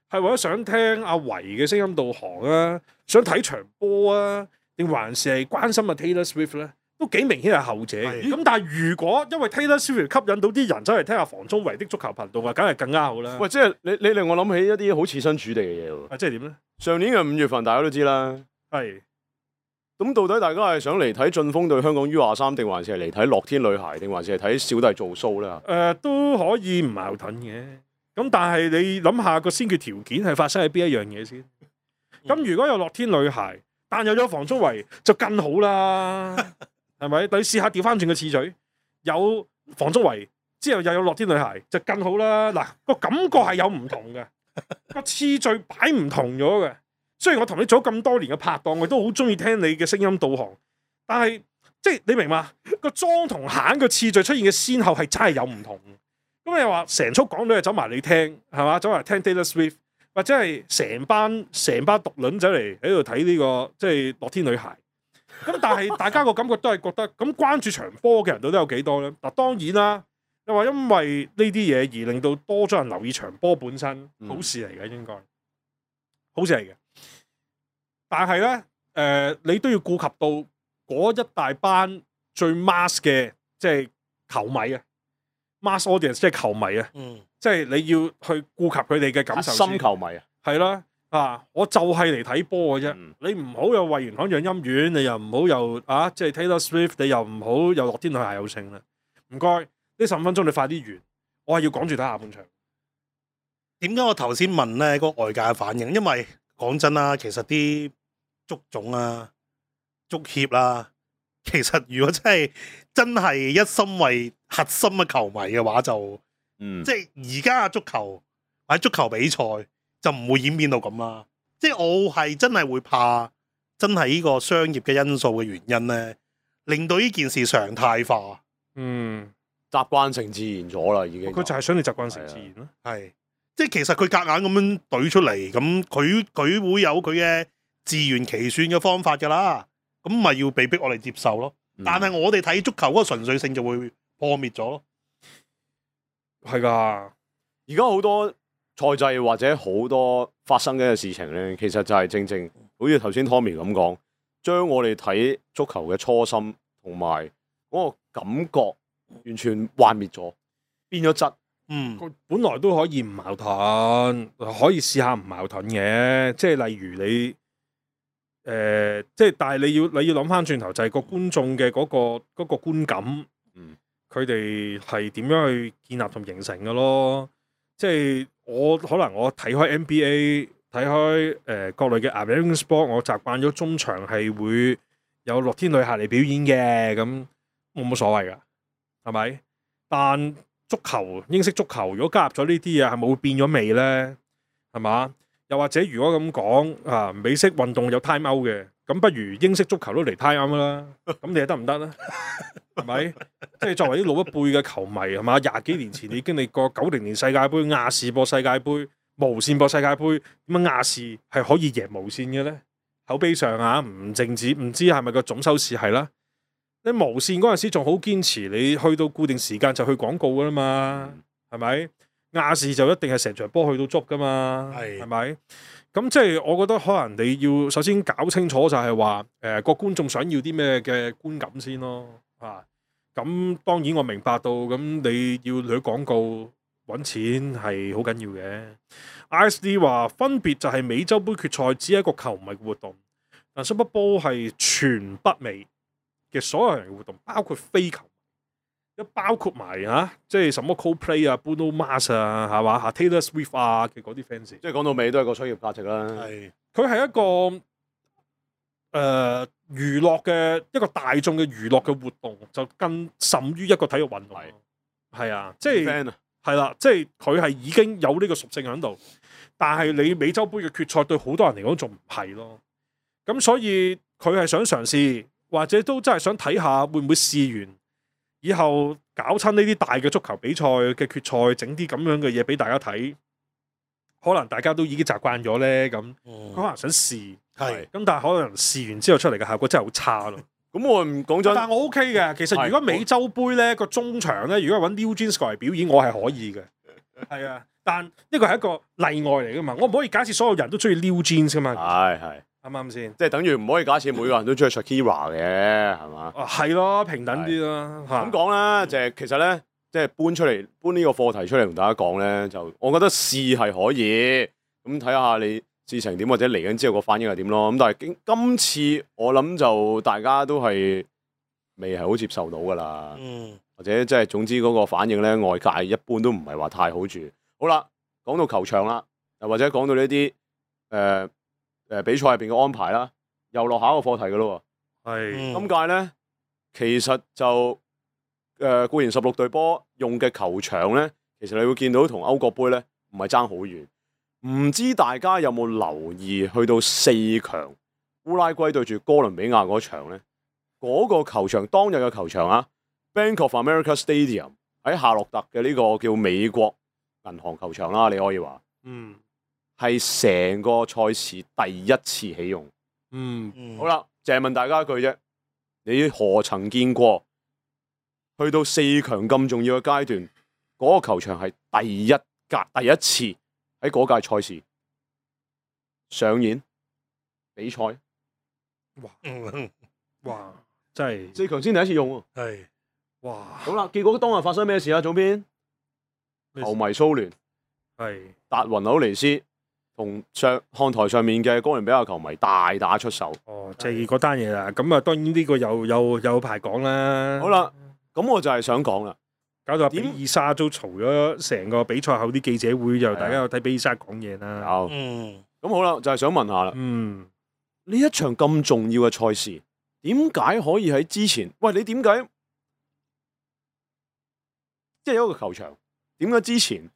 Speaker 1: 係為咗想聽阿維嘅聲音導航啊，想睇場波啊，定還是係關心阿 Taylor Swift 咧？都幾明顯係後者。咁但係如果因為 Taylor Swift 吸引到啲人走嚟聽下房中維的足球頻道啊，梗係更加好啦。
Speaker 2: 喂，即係你令我諗起一啲好設身處地嘅嘢喎。
Speaker 1: 即係點咧？
Speaker 2: 上年嘅5月份大家都知啦。
Speaker 1: 係。
Speaker 2: 咁到底大家係想嚟睇晉峰對香港 U23，定還是係嚟睇樂天女孩，定還是係睇小弟做 show 咧？
Speaker 1: 都可以唔矛盾嘅。咁但係你諗下個先決條件係發生喺邊一樣嘢先？咁如果有樂天女孩，但又有房中維就更好啦，係咪？你試下調翻轉個次序，有房中維之後又有樂天女孩就更好啦。嗱，個感覺係有唔同嘅，個次序擺唔同咗嘅。雖然我同你做咗咁多年嘅拍檔，我都好中意聽你嘅聲音導航，但係即係你明嘛？個莊同閒個次序出現嘅先後係真係有唔同。咁你話成束港女就走埋你聽係嘛？走埋聽 Taylor Swift，或者係成班獨撚走嚟喺度睇呢個即係樂天女孩。咁但係大家個感覺都係覺得咁關注場波嘅人到底有幾多咧？嗱當然啦，你話因為呢啲嘢而令到多咗人留意場波本身，好事嚟嘅應該，好事嚟嘅。但係咧你都要顧及到嗰一大班最 mass 嘅即係球迷啊 ，mass audience 即係球迷啊，即係你要去顧及佢哋嘅感受。
Speaker 2: 心球迷啊，
Speaker 1: 係啦。我就係嚟睇波嘅啫，你唔好又慧元堂養陰丸，你又唔好又即係 Taylor Swift， 你又唔好又樂天女孩有勝啦。唔該，呢15分鐘你快啲完，我係要趕住睇下半場。
Speaker 3: 點解我頭先問咧嗰個外界嘅反應？因為講真啦，其實啲足總啊、足協啦，其實如果真係一心為核心嘅球迷嘅話，就即係而家嘅足球或者足球比賽。就唔會演變到咁啦，即係我係真係會怕，真係呢個商業嘅因素嘅原因咧，令到呢件事常態化。
Speaker 2: 習慣成自然咗啦，已經。
Speaker 1: 佢就係想你習慣成自然咯。
Speaker 3: 係，即係其實佢夾硬咁樣懟出嚟，咁佢會有佢嘅自圓其說嘅方法㗎啦，咁咪要被逼我哋接受咯。但係我哋睇足球嗰個純粹性就會破滅咗咯。
Speaker 1: 係㗎，
Speaker 2: 而家好多賽制或者好多發生嘅事情咧，其實就係正好似頭先 Tommy 咁講，將我哋睇足球嘅初心同埋嗰個感覺完全幻滅咗，變咗質。
Speaker 1: 佢本來都可以唔矛盾，可以試下唔矛盾嘅，即係例如你即係但係你要諗翻轉頭，就係個觀眾嘅嗰個觀感，佢哋係點樣去建立同形成嘅咯？即係可能我睇開 NBA， 睇開各類嘅 American sport， 我習慣咗中場係會有樂天女孩嚟表演嘅，咁冇乜所謂㗎，係咪？但足球英式足球如果加入咗呢啲嘢，係咪會變咗味咧？係嘛？又或者如果咁講美式運動有 time out 嘅，咁不如英式足球都嚟 time out 啦？咁你得唔得咧？係咪？即係作為啲老一輩嘅球迷係嘛？20幾年前你經歷過90年世界盃亞視播世界盃、無線播世界盃，點解亞視係可以贏無線嘅咧？口碑上唔淨止，唔知係咪個總收視係啦？你無線嗰陣時仲好堅持，你去到固定時間就去廣告噶啦嘛，係咪？亞視就一定係成場波去到足噶嘛，係咪？咁即係我覺得可能你要首先搞清楚就係話個觀眾想要啲咩嘅觀感先咯，咁當然我明白到咁你要攞廣告揾錢係好緊要嘅。ISD 話分別就係美洲杯決賽只係一個球迷活動，但 Super Bowl 係全北美嘅所有人嘅活動，包括非球迷，包括埋即係什麼 Coldplay 啊、Bruno Mars 啊，係嘛？Taylor Swift 啊嘅嗰啲 fans，
Speaker 2: 即係講到尾都係個商業價值啦。
Speaker 1: 佢係一個娛樂嘅一個大眾嘅娛樂嘅活動，就更甚於一個體育運動。係啊，即係係啦，即係佢係已經有呢個屬性喺度，但係你美洲杯嘅決賽對好多人嚟講仲唔係咯。咁所以佢係想嘗試，或者都真係想睇下會唔會試完以後搞親呢啲大嘅足球比賽嘅決賽，整啲咁樣嘅嘢俾大家睇。可能大家都已經習慣咗咧，咁佢可能想試，咁但係可能試完之後出嚟嘅效果真係好差咯。
Speaker 2: 咁我唔講真，
Speaker 1: 但係我 OK 嘅。其實如果美洲杯咧個中場咧，如果揾 New Jeans 過嚟表演，我係可以嘅。係啊，但呢個係一個例外嚟噶嘛，我唔可以假設所有人都中意 New Jeans 噶嘛。
Speaker 2: 係
Speaker 1: 啱唔啱先？
Speaker 2: 即係等於唔可以假設每個人都中意 Shakira 嘅，係嘛？
Speaker 1: 係咯，平等啲啦。
Speaker 2: 咁講啦，就係其實咧。即係搬呢個課題出嚟同大家講咧，就我覺得試係可以，咁睇下你事情點或者嚟緊之後個反應係點咯。咁但係今次我諗就大家都係未係好接受到㗎啦，或者即係總之嗰個反應咧，外界一般都唔係話太好住。好啦，講到球場啦，又或者講到呢啲比賽入邊嘅安排啦，又落下一個課題㗎咯喎。今屆咧其實就固然16隊波用嘅球場咧，其實你會見到同歐國杯咧唔係爭好遠。唔知大家有冇留意去到4強烏拉圭對住哥倫比亞嗰場咧？嗰個球場當日嘅球場Bank of America Stadium 喺夏洛特嘅呢個叫美國銀行球場啦，你可以話
Speaker 1: 嗯
Speaker 2: 係成個賽事第一次起用。
Speaker 1: 嗯，
Speaker 2: 好啦，淨係問大家一句啫，你何曾見過去到4強咁重要嘅階段，嗰個球場係第一次喺嗰屆賽事上演比賽？
Speaker 1: 哇，真係
Speaker 2: 4強先第一次用喎。
Speaker 3: 係
Speaker 1: 哇，
Speaker 2: 好啦，結果當日發生咩事啊？總編，球迷騷亂，
Speaker 1: 係
Speaker 2: 達雲紐尼斯同看台上面嘅哥倫比亞球迷大打出手。
Speaker 1: 哦，即係嗰單嘢啦。咁啊，當然呢個有排講啦。
Speaker 2: 好啦，咁我就係想講啦，
Speaker 1: 搞到比爾莎都嘈咗成個比賽後啲記者會，就大家有睇比爾莎講嘢啦。
Speaker 2: 有咁好啦，就係想問下啦，呢一場咁重要嘅賽事，點解可以喺之前？喂，你點解即係有一個球場，點解之前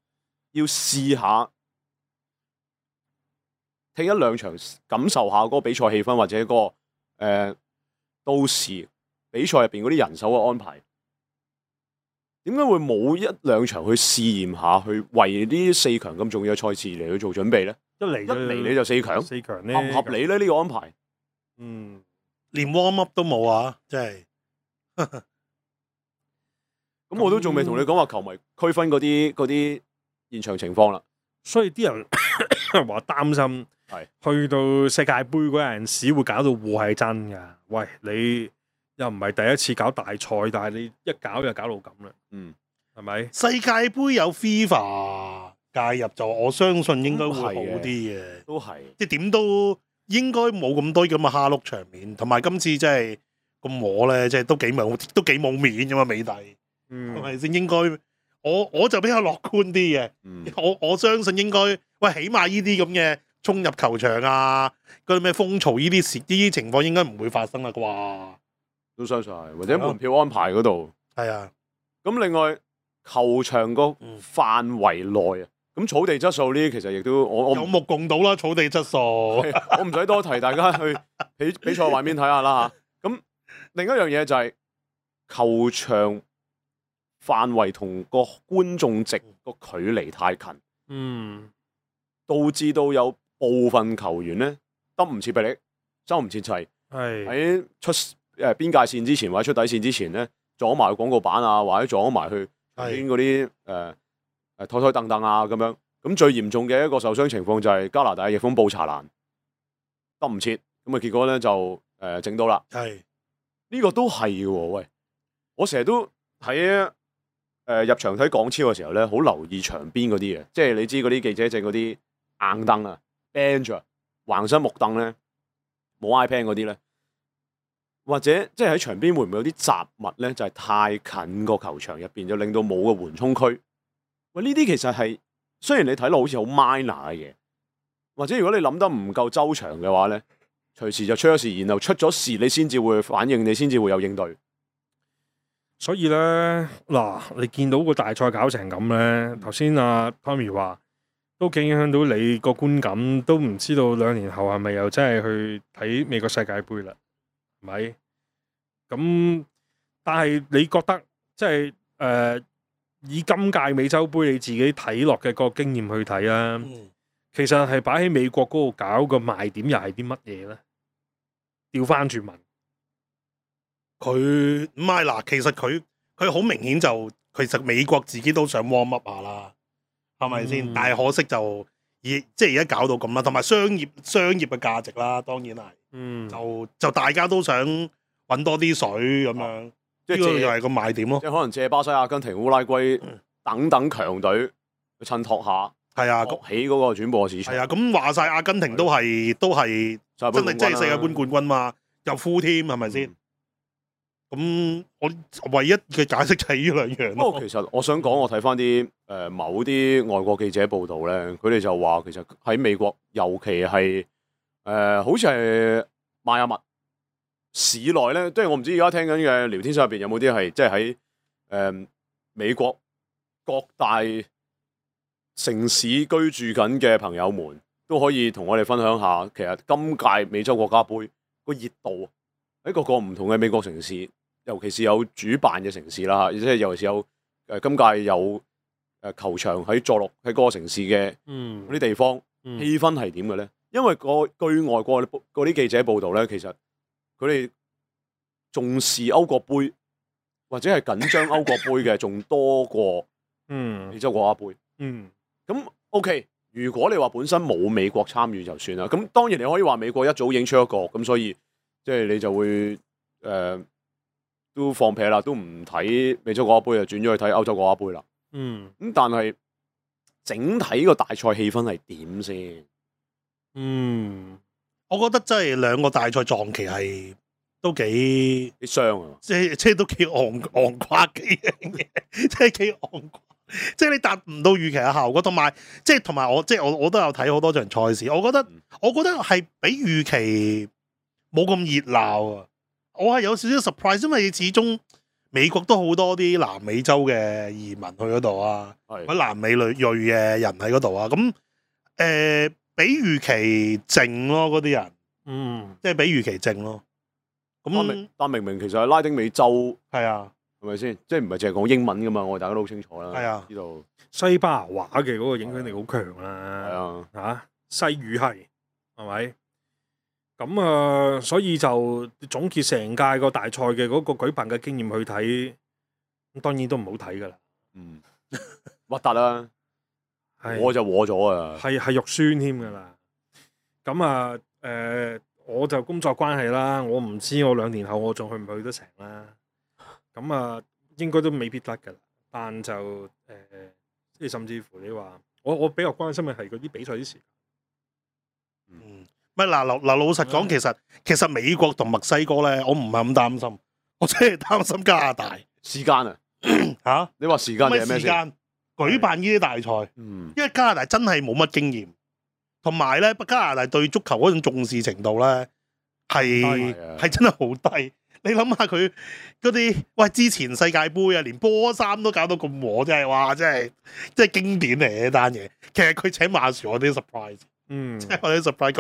Speaker 2: 要試下踢一兩場，感受下嗰個比賽氣氛，或者嗰個到時比賽入邊嗰啲人手嘅安排？點解會冇一兩場去試驗下，去為呢4強咁重要嘅賽事嚟去做準備咧？一嚟你就4強，
Speaker 1: 四強咧
Speaker 2: 合唔合理咧？呢個安排，
Speaker 3: 連 warm up 都冇啊！真係。
Speaker 2: 咁我都仲未同你講話球迷區分嗰啲現場情況啦。
Speaker 1: 所以啲人話擔心，
Speaker 2: 係
Speaker 1: 去到世界盃嗰陣時會搞到禍係真㗎。喂，你又唔係第一次搞大賽，但係你一搞就搞到咁啦。係咪？
Speaker 3: 世界盃有 FIFA 介入就，我相信應該會好啲嘅。
Speaker 2: 都係，
Speaker 3: 即係點都應該冇咁多咁嘅蝦碌場面，同埋今次真係咁我咧，即係都幾冇面㗎嘛，美帝係咪先？應該我就比較樂觀啲嘅。我相信應該，喂，起碼呢啲咁嘅衝入球場啊，嗰啲咩風潮呢啲情況應該唔會發生啦啩？
Speaker 2: 都相信係，或者門票安排嗰度
Speaker 3: 係啊。
Speaker 2: 咁另外球場個範圍內啊，咁草地質素呢啲其實亦都我
Speaker 3: 有目共睹啦，草地質素。
Speaker 2: 我唔使多提，大家去比賽畫面睇下啦嚇。咁另一樣嘢就係球場範圍同個觀眾席個距離太近，導致到有部分球員咧得唔切臂力，收唔切齊，喺出邊界線之前或者出底線之前咧撞埋廣告板啊，或者撞埋去邊嗰啲台凳凳啊咁樣。咁最嚴重嘅一個受傷情況就係加拿大嘅翼鋒布查蘭得唔切，咁啊結果咧就整到啦。呢個都係嘅喎，喂！我成日都喺入場睇港超嘅時候咧，好留意場邊嗰啲嘢，即係你知嗰啲記者席嗰啲硬凳啊、bench 啊、橫身木凳咧，冇 iPad 嗰啲咧，或者即係喺場邊會唔會有啲雜物咧？就係太近個球場入邊，就令到冇個緩衝區。喂，呢啲其實係雖然你睇落好似好 minor 嘅嘢，或者如果你諗得唔夠周詳嘅話咧，隨時就出咗事，然後出咗事你先至會反應，你先至會有應對。
Speaker 1: 所以咧，嗱，你見到個大賽搞成咁咧，頭先阿 Tommy 話都幾影響到你個觀感，都唔知道2年後係咪又真係去睇美國世界盃啦？係咪？咁但係你覺得即係以今屆美洲盃你自己睇落嘅個經驗去睇啊，其實係擺喺美國嗰度搞個賣點又係啲乜嘢咧？調翻轉問。
Speaker 3: 佢唔係嗱，其實佢好明顯就其實美國自己都想 warm up 下啦，係咪先？但係可惜就即係而家搞到咁啦，同埋商業嘅價值啦，當然係，就大家都想揾多啲水咁樣，即係呢個又係個賣點咯。
Speaker 2: 即係可能借巴西、阿根廷、烏拉圭等等強隊去襯托下，
Speaker 3: 係啊，
Speaker 2: 起嗰個轉播市場。
Speaker 3: 係啊，咁話晒阿根廷都係真係世界盃冠軍嘛，又 full 添係咪先？咁我唯一嘅解釋就係呢兩樣咯。
Speaker 2: 不過其實我想講，我睇翻啲某啲外國記者報道咧，佢哋就話其實喺美國，尤其係好似係邁阿密市內咧，即係我唔知而家聽緊嘅聊天室入邊有冇啲係即係喺美國各大城市居住緊嘅朋友們，都可以同我哋分享下，其實今屆美洲國家盃個熱度喺各個唔同嘅美國城市。尤其是有主辦嘅城市啦，即係尤其是有今屆有球場喺坐落喺嗰個城市嘅
Speaker 1: 嗯
Speaker 2: 嗰啲地方，
Speaker 1: 嗯
Speaker 2: 氣氛係點嘅咧？因為據外國嗰啲記者報道咧，其實佢哋重視歐國杯或者係緊張歐國杯嘅，仲多過美洲國家杯。咁 OK， 如果你話本身冇美國參與就算啦。咁當然你可以話美國一早已經出一個，咁所以即係你就會都放屁啦，都唔睇美洲國家杯，就轉咗去睇歐洲國家杯啦。咁但係整體個大賽氣氛係點先？
Speaker 3: 我覺得真係兩個大賽撞期係都幾
Speaker 2: 傷啊！
Speaker 3: 即係都幾昂誇嘅樣嘢，即係幾昂誇，即係你達唔到預期嘅效果，同埋我都有睇好多場賽事，我覺得係比預期冇咁熱鬧啊！我係有少少 surprise，因為始終美國都好多啲南美洲嘅移民去嗰度啊，或者南美裔嘅人喺嗰度啊，咁比預期靜咯，嗰啲人，即係比預期靜咯。咁
Speaker 2: 但明明其實係拉丁美洲，
Speaker 3: 係啊，
Speaker 2: 係咪先？即係唔係淨係講英文噶嘛？我哋大家都好清楚啦。
Speaker 3: 係啊，
Speaker 2: 知道
Speaker 1: 西班牙話嘅嗰個影響力好強啦。
Speaker 2: 係啊，
Speaker 1: 西語系係咪？咁所以就總結成屆個大賽嘅嗰個舉辦嘅經驗去睇，咁當然都唔好睇噶啦。
Speaker 2: 核突啦，我就和咗啊，
Speaker 1: 係肉酸添噶啦。咁我就工作關係啦，我唔知我2年後我仲去唔去得成啦。咁應該都未必得噶啦。但就即係甚至乎你話，我比較關心嘅係嗰啲比賽啲時間。
Speaker 3: 唔係嗱老實講，其實美國同墨西哥咧，我唔係咁擔心，我真係擔心加拿大
Speaker 2: 時間啊
Speaker 3: 嚇。
Speaker 2: 你話時間定係咩先？
Speaker 3: 舉辦呢啲大賽，因為加拿大真係冇乜經驗，同埋咧加拿大對足球嗰種重視程度咧係真係好低。你諗下佢嗰啲，喂，之前世界盃啊，連波衫都搞到咁和，真係哇，真係經典嚟嘅單嘢。其實佢請馬樹我啲 surprise，即係我啲 surprise。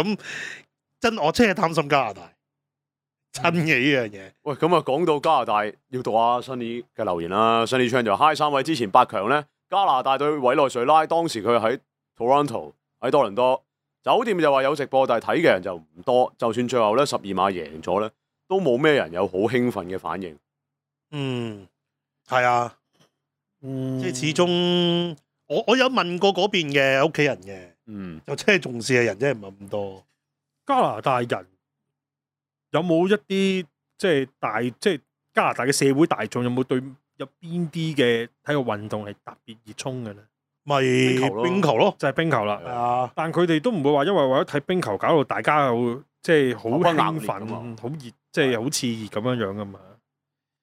Speaker 3: 咁我真係擔心加拿大真嘅呢樣嘢。
Speaker 2: 喂，咁講到加拿大，要讀下 Sunny 嘅留言啦。Sunny Chan 就 Hi 3位之前8強咧，加拿大對委內瑞拉，當時佢喺 Toronto 喺多倫多酒店就話有直播，但係睇嘅人就唔多。就算最後咧12碼贏咗咧，都冇咩人有好興奮嘅反應。
Speaker 3: 係啊，即係始終我有問過嗰邊嘅屋企人嘅，就真係重視嘅人真係唔係咁多。
Speaker 1: 加拿大人有冇一啲即係加拿大嘅社會大眾有冇對有邊啲嘅體育運動係特別熱衷嘅咧？
Speaker 3: 咪冰球咯，
Speaker 1: 就係冰球啦。
Speaker 3: 係啊，但
Speaker 1: 佢哋都唔會話因為為咗睇冰球搞到大家好即係好興奮、好熱，即係好熾熱咁樣樣噶嘛。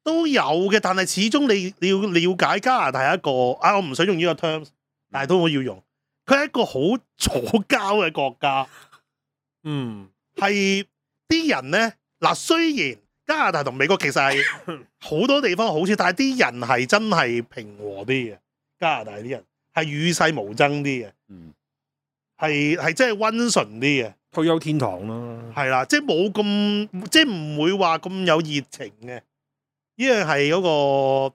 Speaker 3: 都有嘅，但係始終你要了解加拿大係一個我唔想用呢個 terms， 但係都要用。佢係一個好左膠嘅國家。係啲人咧嗱，雖然加拿大同美國其實係好多地方好似，但係啲人係真係平和啲嘅。加拿大啲人係與世無爭啲嘅，係真係溫順啲嘅，
Speaker 1: 退休天堂咯。
Speaker 3: 係啦，即係冇咁，即係唔會話咁有熱情嘅。呢樣係嗰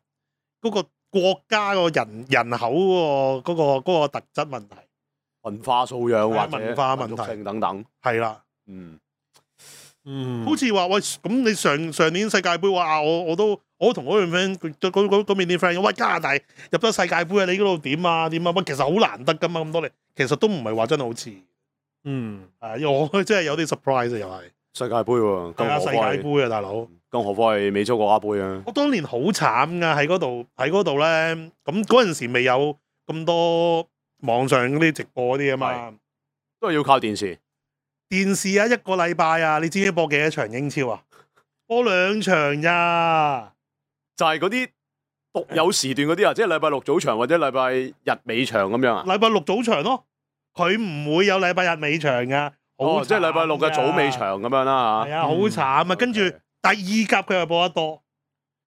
Speaker 3: 個國家個人口嗰個特質問題，
Speaker 2: 文化素養或者
Speaker 3: 文化問題
Speaker 2: 等等，
Speaker 3: 係啦。好似話喂，咁你上年世界盃話我同嗰段 friend 嗰邊啲 friend， 喂，加拿大入咗世界盃啊，你嗰度點啊？喂，其實好難得噶嘛，咁多年，其實都唔係話真係好似，我真係有啲 surprise 啊，又係
Speaker 2: 世界盃喎，
Speaker 3: 係啊，世界盃啊，大佬，
Speaker 2: 更何況係美洲國家盃啊！
Speaker 3: 我當年好慘噶，喺嗰度咧，咁嗰陣時未有咁多網上嗰啲直播嗰啲啊嘛，
Speaker 2: 都係要靠電視。
Speaker 3: 電視啊，一個禮拜啊，你知唔知播幾多場英超啊？播2場咋？
Speaker 2: 就係嗰啲獨有時段嗰啲啊，即係禮拜6早場或者禮拜日尾場咁樣啊？
Speaker 3: 禮拜6早場咯，佢唔會有禮拜日尾場噶。
Speaker 2: 即係禮拜6嘅早尾場咁樣啦嚇。
Speaker 3: 係啊，好慘啊！跟住第2甲佢又播得多，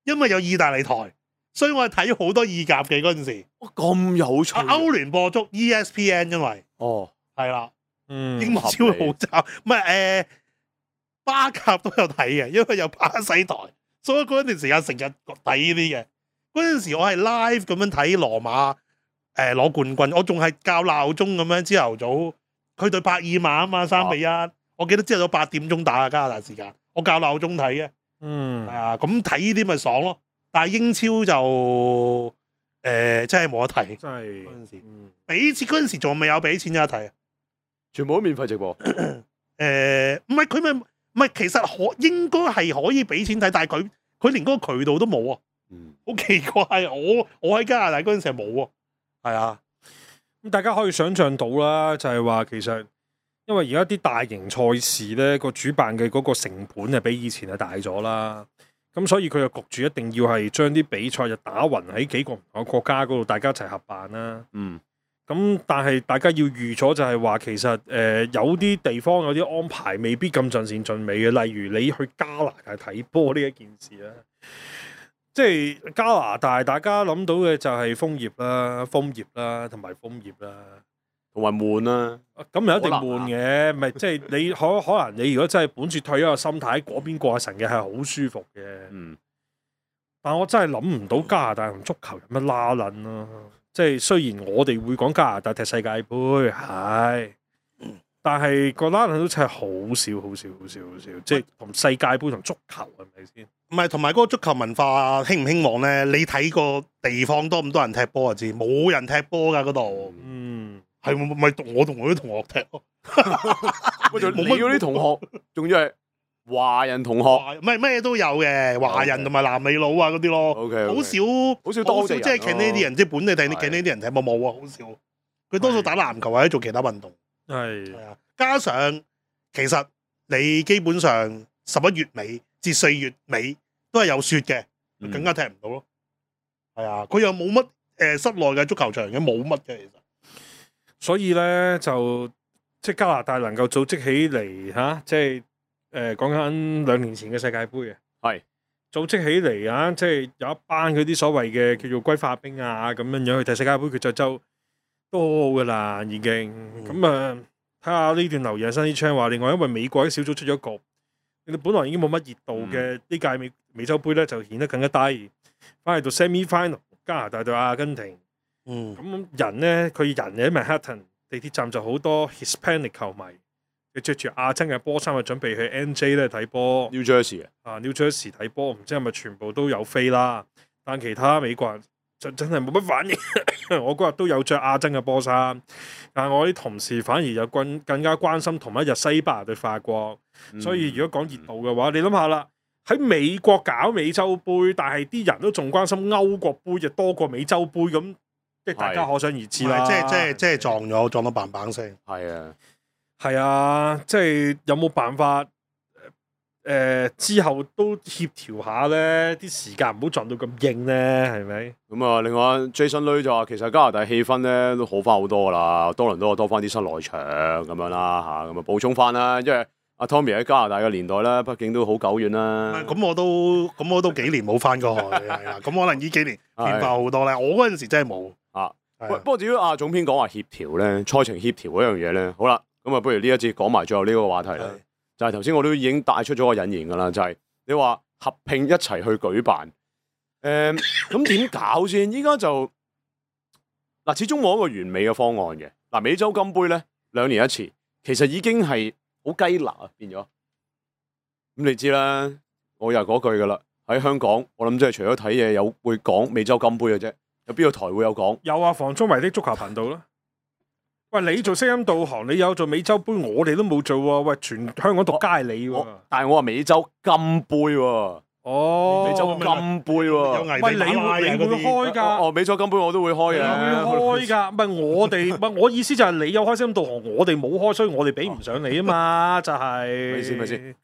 Speaker 3: 因為有意大利台，所以我係睇好多意甲嘅嗰陣時。
Speaker 2: 咁有趣！
Speaker 3: 歐聯播足 ESPN， 因為係啦。英超好渣，唔係巴甲都有睇嘅，因為有巴西台，所以嗰段時間成日睇呢啲嘅。嗰嗰陣時我係 live 咁樣睇羅馬攞冠軍，我仲係校鬧鐘咁樣朝頭早，佢對帕爾馬啊嘛3-1，我記得朝頭早8點鐘打加拿大時間，我校鬧鐘睇嘅。係啊，咁睇呢啲咪爽咯。但係英超就真係冇得睇，
Speaker 1: 真係
Speaker 3: 嗰陣時俾錢嗰陣時仲未有俾錢有得睇啊。
Speaker 2: 全部都免費直播。
Speaker 3: 唔係佢咪唔係，其實應該係可以俾錢睇，但係佢連嗰個渠道都冇啊。好奇怪，我喺加拿大嗰陣時係冇啊。係啊，
Speaker 1: 咁大家可以想象到啦，就係話其實因為而家啲大型賽事咧個主辦嘅嗰個成本係比以前係大咗啦，咁所以佢就焗住一定要係將啲比賽就打勻喺幾個唔同嘅國家嗰度，大家一齊合辦啦。咁但係大家要預咗就係話，其實有啲地方有啲安排未必咁盡善盡美嘅，例如你去加拿大睇波呢一件事啦。即係加拿大，大家諗到嘅就係楓葉啦、同埋楓葉啦，
Speaker 2: 同埋悶啦。
Speaker 1: 咁又一定悶嘅，咪即係你可能你如果真係本住退休嘅心態喺嗰邊過神嘅係好舒服嘅。但我真係諗唔到加拿大同足球有乜拉撚咯。即係雖然我哋會講加拿大踢世界盃係，但係個拉撚都真係好少，即係同世界盃同足球係咪先？
Speaker 3: 唔係，同埋嗰個足球文化興唔興旺咧？你睇個地方多唔多人踢波就知，冇人踢波㗎嗰度。係咪我同我啲同學踢咯？
Speaker 2: 冇乜嗰啲同學，仲要係華人同學，
Speaker 3: 唔係咩都有嘅，華人同埋南美佬啊嗰啲咯。好少多即係 Canadian 即係本地睇啲 Canadian 踢波冇啊，好少。佢多數打籃球或者做其他運動。係啊，加上其實你基本上11月尾至4月尾都係有雪嘅，更加踢唔到咯。係啊，佢又冇乜室內嘅足球場嘅，冇乜嘅其實。
Speaker 1: 所以咧就即係加拿大能夠組織起嚟嚇，即係講緊2年前嘅世界盃嘅，
Speaker 2: 係
Speaker 1: 組織起嚟啊！即係有一班嗰啲所謂嘅叫做歸化兵啊咁樣樣去踢世界盃決賽周都好好噶啦，已經咁啊！睇下呢段留言新啲窗話，另外因為美國喺小組出咗局，你哋本來已經冇乜熱度嘅呢屆美洲盃咧就顯得更加低，翻嚟到 semi final 加拿大對阿根廷。咁人咧，佢人喺 Manhattan 地鐵站就好多 Hispanic 球迷，佢着住亞洲嘅波衫，準備去 NJ 咧睇波。New
Speaker 2: Jersey
Speaker 1: New Jersey 睇波，唔知係咪全部都有飛啦？但其他美國人就真係冇乜反應。我嗰日都有着亞洲嘅波衫，但係我啲同事反而有更加關心同一日西班牙對法國。所以如果講熱度嘅話，你諗下啦，喺美國搞美洲盃，但係啲人都仲關心歐國杯，就多過美洲盃咁。即係大家可想而知啦，
Speaker 3: 即係撞到棒棒聲。
Speaker 1: 係啊，即係有冇辦法之後都協調下咧？啲時間唔好撞到咁硬咧，係咪？
Speaker 2: 咁啊，另外 Jason Lui 就話其實加拿大氣氛咧都好翻好多噶啦，多倫多多翻啲室內場咁樣啦嚇，咁啊補充翻啦，因為阿 Tommy 喺加拿大嘅年代咧，畢竟都好久遠啦。
Speaker 3: 咁我都幾年冇翻過去，係啦。咁可能呢幾年變化好多咧。我嗰陣時真係冇。
Speaker 2: 不過至於阿總編講話協調咧，賽程協調嗰樣嘢咧，好啦，咁啊，不如呢一節講埋最後呢個話題啦。就係頭先我都已經帶出咗個引言噶啦，就係你話合併一齊去舉辦，咁點搞先？依家就嗱，始終冇一個完美嘅方案嘅。嗱，美洲金杯咧2年一次，其實已經係好雞肋啊，變咗。咁你知啦，我又係嗰句噶啦，喺香港，我諗即係除咗睇嘢有會講美洲金杯嘅啫。有邊個台會有講？
Speaker 1: 有啊，房中維的足球頻道啦。喂，你做聲音導航，你有做美洲杯，我哋都冇做喎。喂，全香港獨家係你喎。
Speaker 2: 但係我話美洲金杯喎。美洲金杯喎。
Speaker 1: 喂，你會開㗎？
Speaker 2: 美洲金杯我都會開嘅。
Speaker 1: 會開㗎，唔係我哋，唔係我意思就係你有開聲音導航，我哋冇開，所以我哋比唔上你啊嘛，就係。
Speaker 2: 咪先？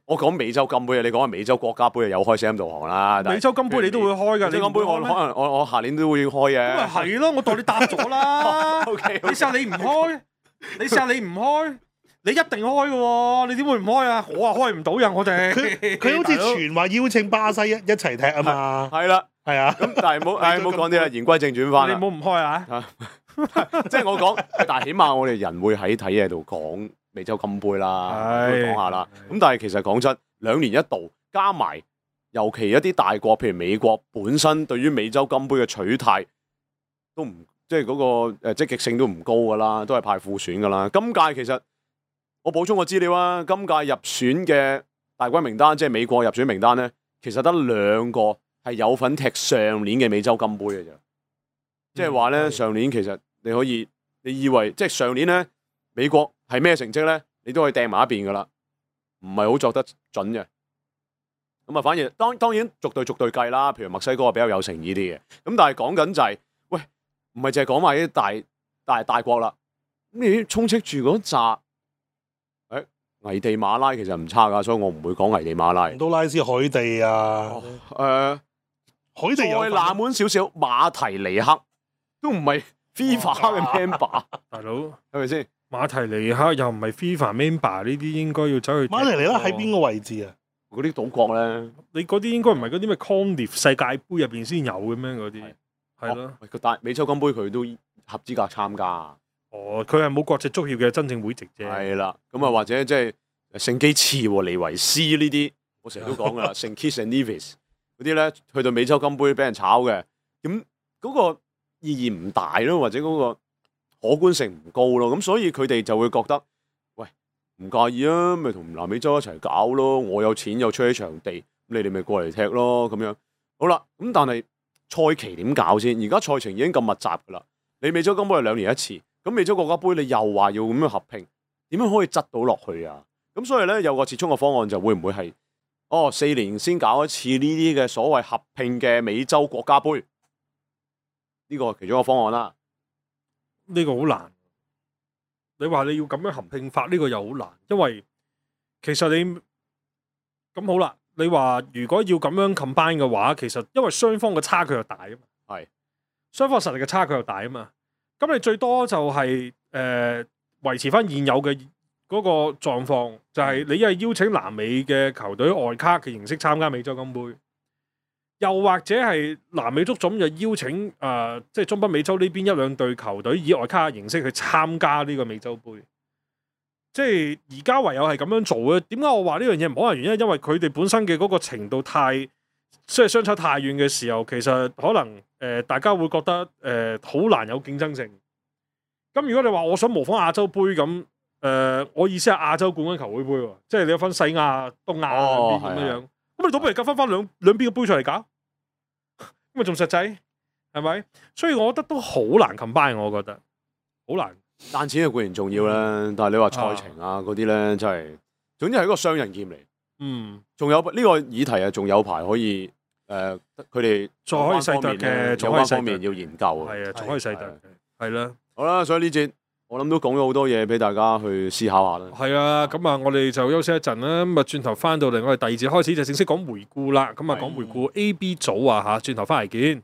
Speaker 2: 我講美洲金杯啊，你講係美洲國家杯有開聲音導航啦。
Speaker 1: 美洲金杯你都會開㗎，
Speaker 2: 美洲金杯我可能我下年都會開嘅。
Speaker 1: 咁咪係咯，我代你答咗啦。你試下你唔開，你一定開嘅喎，你點會唔開啊？我話開唔到人，我哋
Speaker 3: 佢好似傳話邀請巴西一齊踢啊嘛。
Speaker 2: 係啦，係啊。咁但係唔好講啲啦，言歸正傳翻。
Speaker 1: 你唔好唔開啊！
Speaker 2: 即係我講，但係起碼我哋人會喺睇嘢度講美洲金杯啦，講下啦。咁但係其實講真，2年一度加埋尤其一啲大國，譬如美國本身對於美洲金杯嘅取態都唔即係嗰個積極性都唔高噶啦，都係派副選噶啦。今屆其實我補充個資料啊，今屆入選嘅大軍名單，即係美國入選名單咧，其實得2個係有份踢上年嘅美洲金杯嘅啫。即係話咧，上年其實你以為即係上年咧美國係咩成績咧，你都可以掟埋一邊噶啦，唔係好作得準嘅。咁啊，反而當然逐隊計啦，譬如墨西哥係比較有誠意啲嘅。咁但係講緊就係，喂，唔係淨係講埋啲大國啦。咁你充斥住嗰扎，危地馬拉其實唔差噶，所以我唔會講危地馬拉。
Speaker 3: 都拉斯海地啊，海地
Speaker 2: 再冷門少少，馬提尼克都唔係 FIFA 嘅 member，
Speaker 1: 大佬
Speaker 2: 係咪先？
Speaker 1: 馬提尼克又唔係 FIFA member，呢啲應該要走去。
Speaker 3: 馬提尼克喺邊個位置啊？
Speaker 2: 嗰啲島國咧，
Speaker 1: 你嗰啲應該唔係嗰啲咩 Conif 世界盃入邊先有嘅咩？嗰啲係咯。
Speaker 2: 喂，但美洲金杯佢都合資格參加。
Speaker 1: 哦，佢係冇國際足協嘅真正會籍啫。
Speaker 2: 係啦，咁啊或者即係聖基茨和尼維斯呢啲，我成日都講噶啦，聖 Kitts and Nevis 嗰啲咧，去到美洲金杯俾人炒嘅，咁嗰個意義唔大咯，或者嗰個可觀性唔高咯，咁所以佢哋就會覺得，喂，唔介意啊，咪同南美洲一齊搞咯，我有錢又出起場地，咁你哋咪過嚟踢咯，咁樣好啦。咁但係賽期點搞先？而家賽程已經咁密集噶啦，你美洲金杯係2年一次，咁美洲國家杯你又話要咁樣合併，點樣可以執到落去啊？咁所以咧有個折衷嘅方案就會唔會係4年先搞一次呢啲嘅所謂合併嘅美洲國家杯？呢個其中一個方案啦。
Speaker 1: 呢個好難。你話你要咁樣合併法，呢個又好難，因為其實你咁好啦。你話如果要咁樣 combine 嘅話，其實因為雙方嘅差距又大啊嘛，
Speaker 2: 係
Speaker 1: 雙方實力嘅差距又大啊嘛。咁你最多就係維持翻現有嘅嗰個狀況，就係你一係邀請南美嘅球隊外卡嘅形式參加美洲金杯，又或者係南美足總就邀請即係中北美洲呢邊1-2隊球隊以外卡嘅形式去參加呢個美洲杯。即係而家唯有係咁樣做嘅。點解我話呢樣嘢唔可能？原因因為佢哋本身嘅嗰個程度即係相差太遠嘅時候，其實可能大家會覺得好難有競爭性。咁如果你話我想模仿亞洲杯咁，我意思係亞洲冠軍球會杯喎，即係你有分西亞、東亞兩邊咁樣，咁你倒不如夾翻兩邊嘅杯出嚟搞，咁咪仲實際係咪？所以我覺得都好難 combine，我覺得好難。
Speaker 2: 賺錢係固然重要啦，但係你話賽程啊嗰啲咧，真係總之係一個雙刃劍嚟。仲有呢個議題啊，仲有排可以佢哋
Speaker 1: 再可以細度嘅，
Speaker 2: 有關方面要研究。
Speaker 1: 係啊，仲可以細度，係啦。
Speaker 2: 好啦，所以呢節我諗都講咗好多嘢俾大家去思考下啦。
Speaker 1: 係啊，咁啊，我哋就休息一陣啦。咁啊，轉頭翻到嚟，我哋第2節開始就正式講回顧啦。咁啊，講回顧 A、B 組啊嚇，轉頭翻嚟見。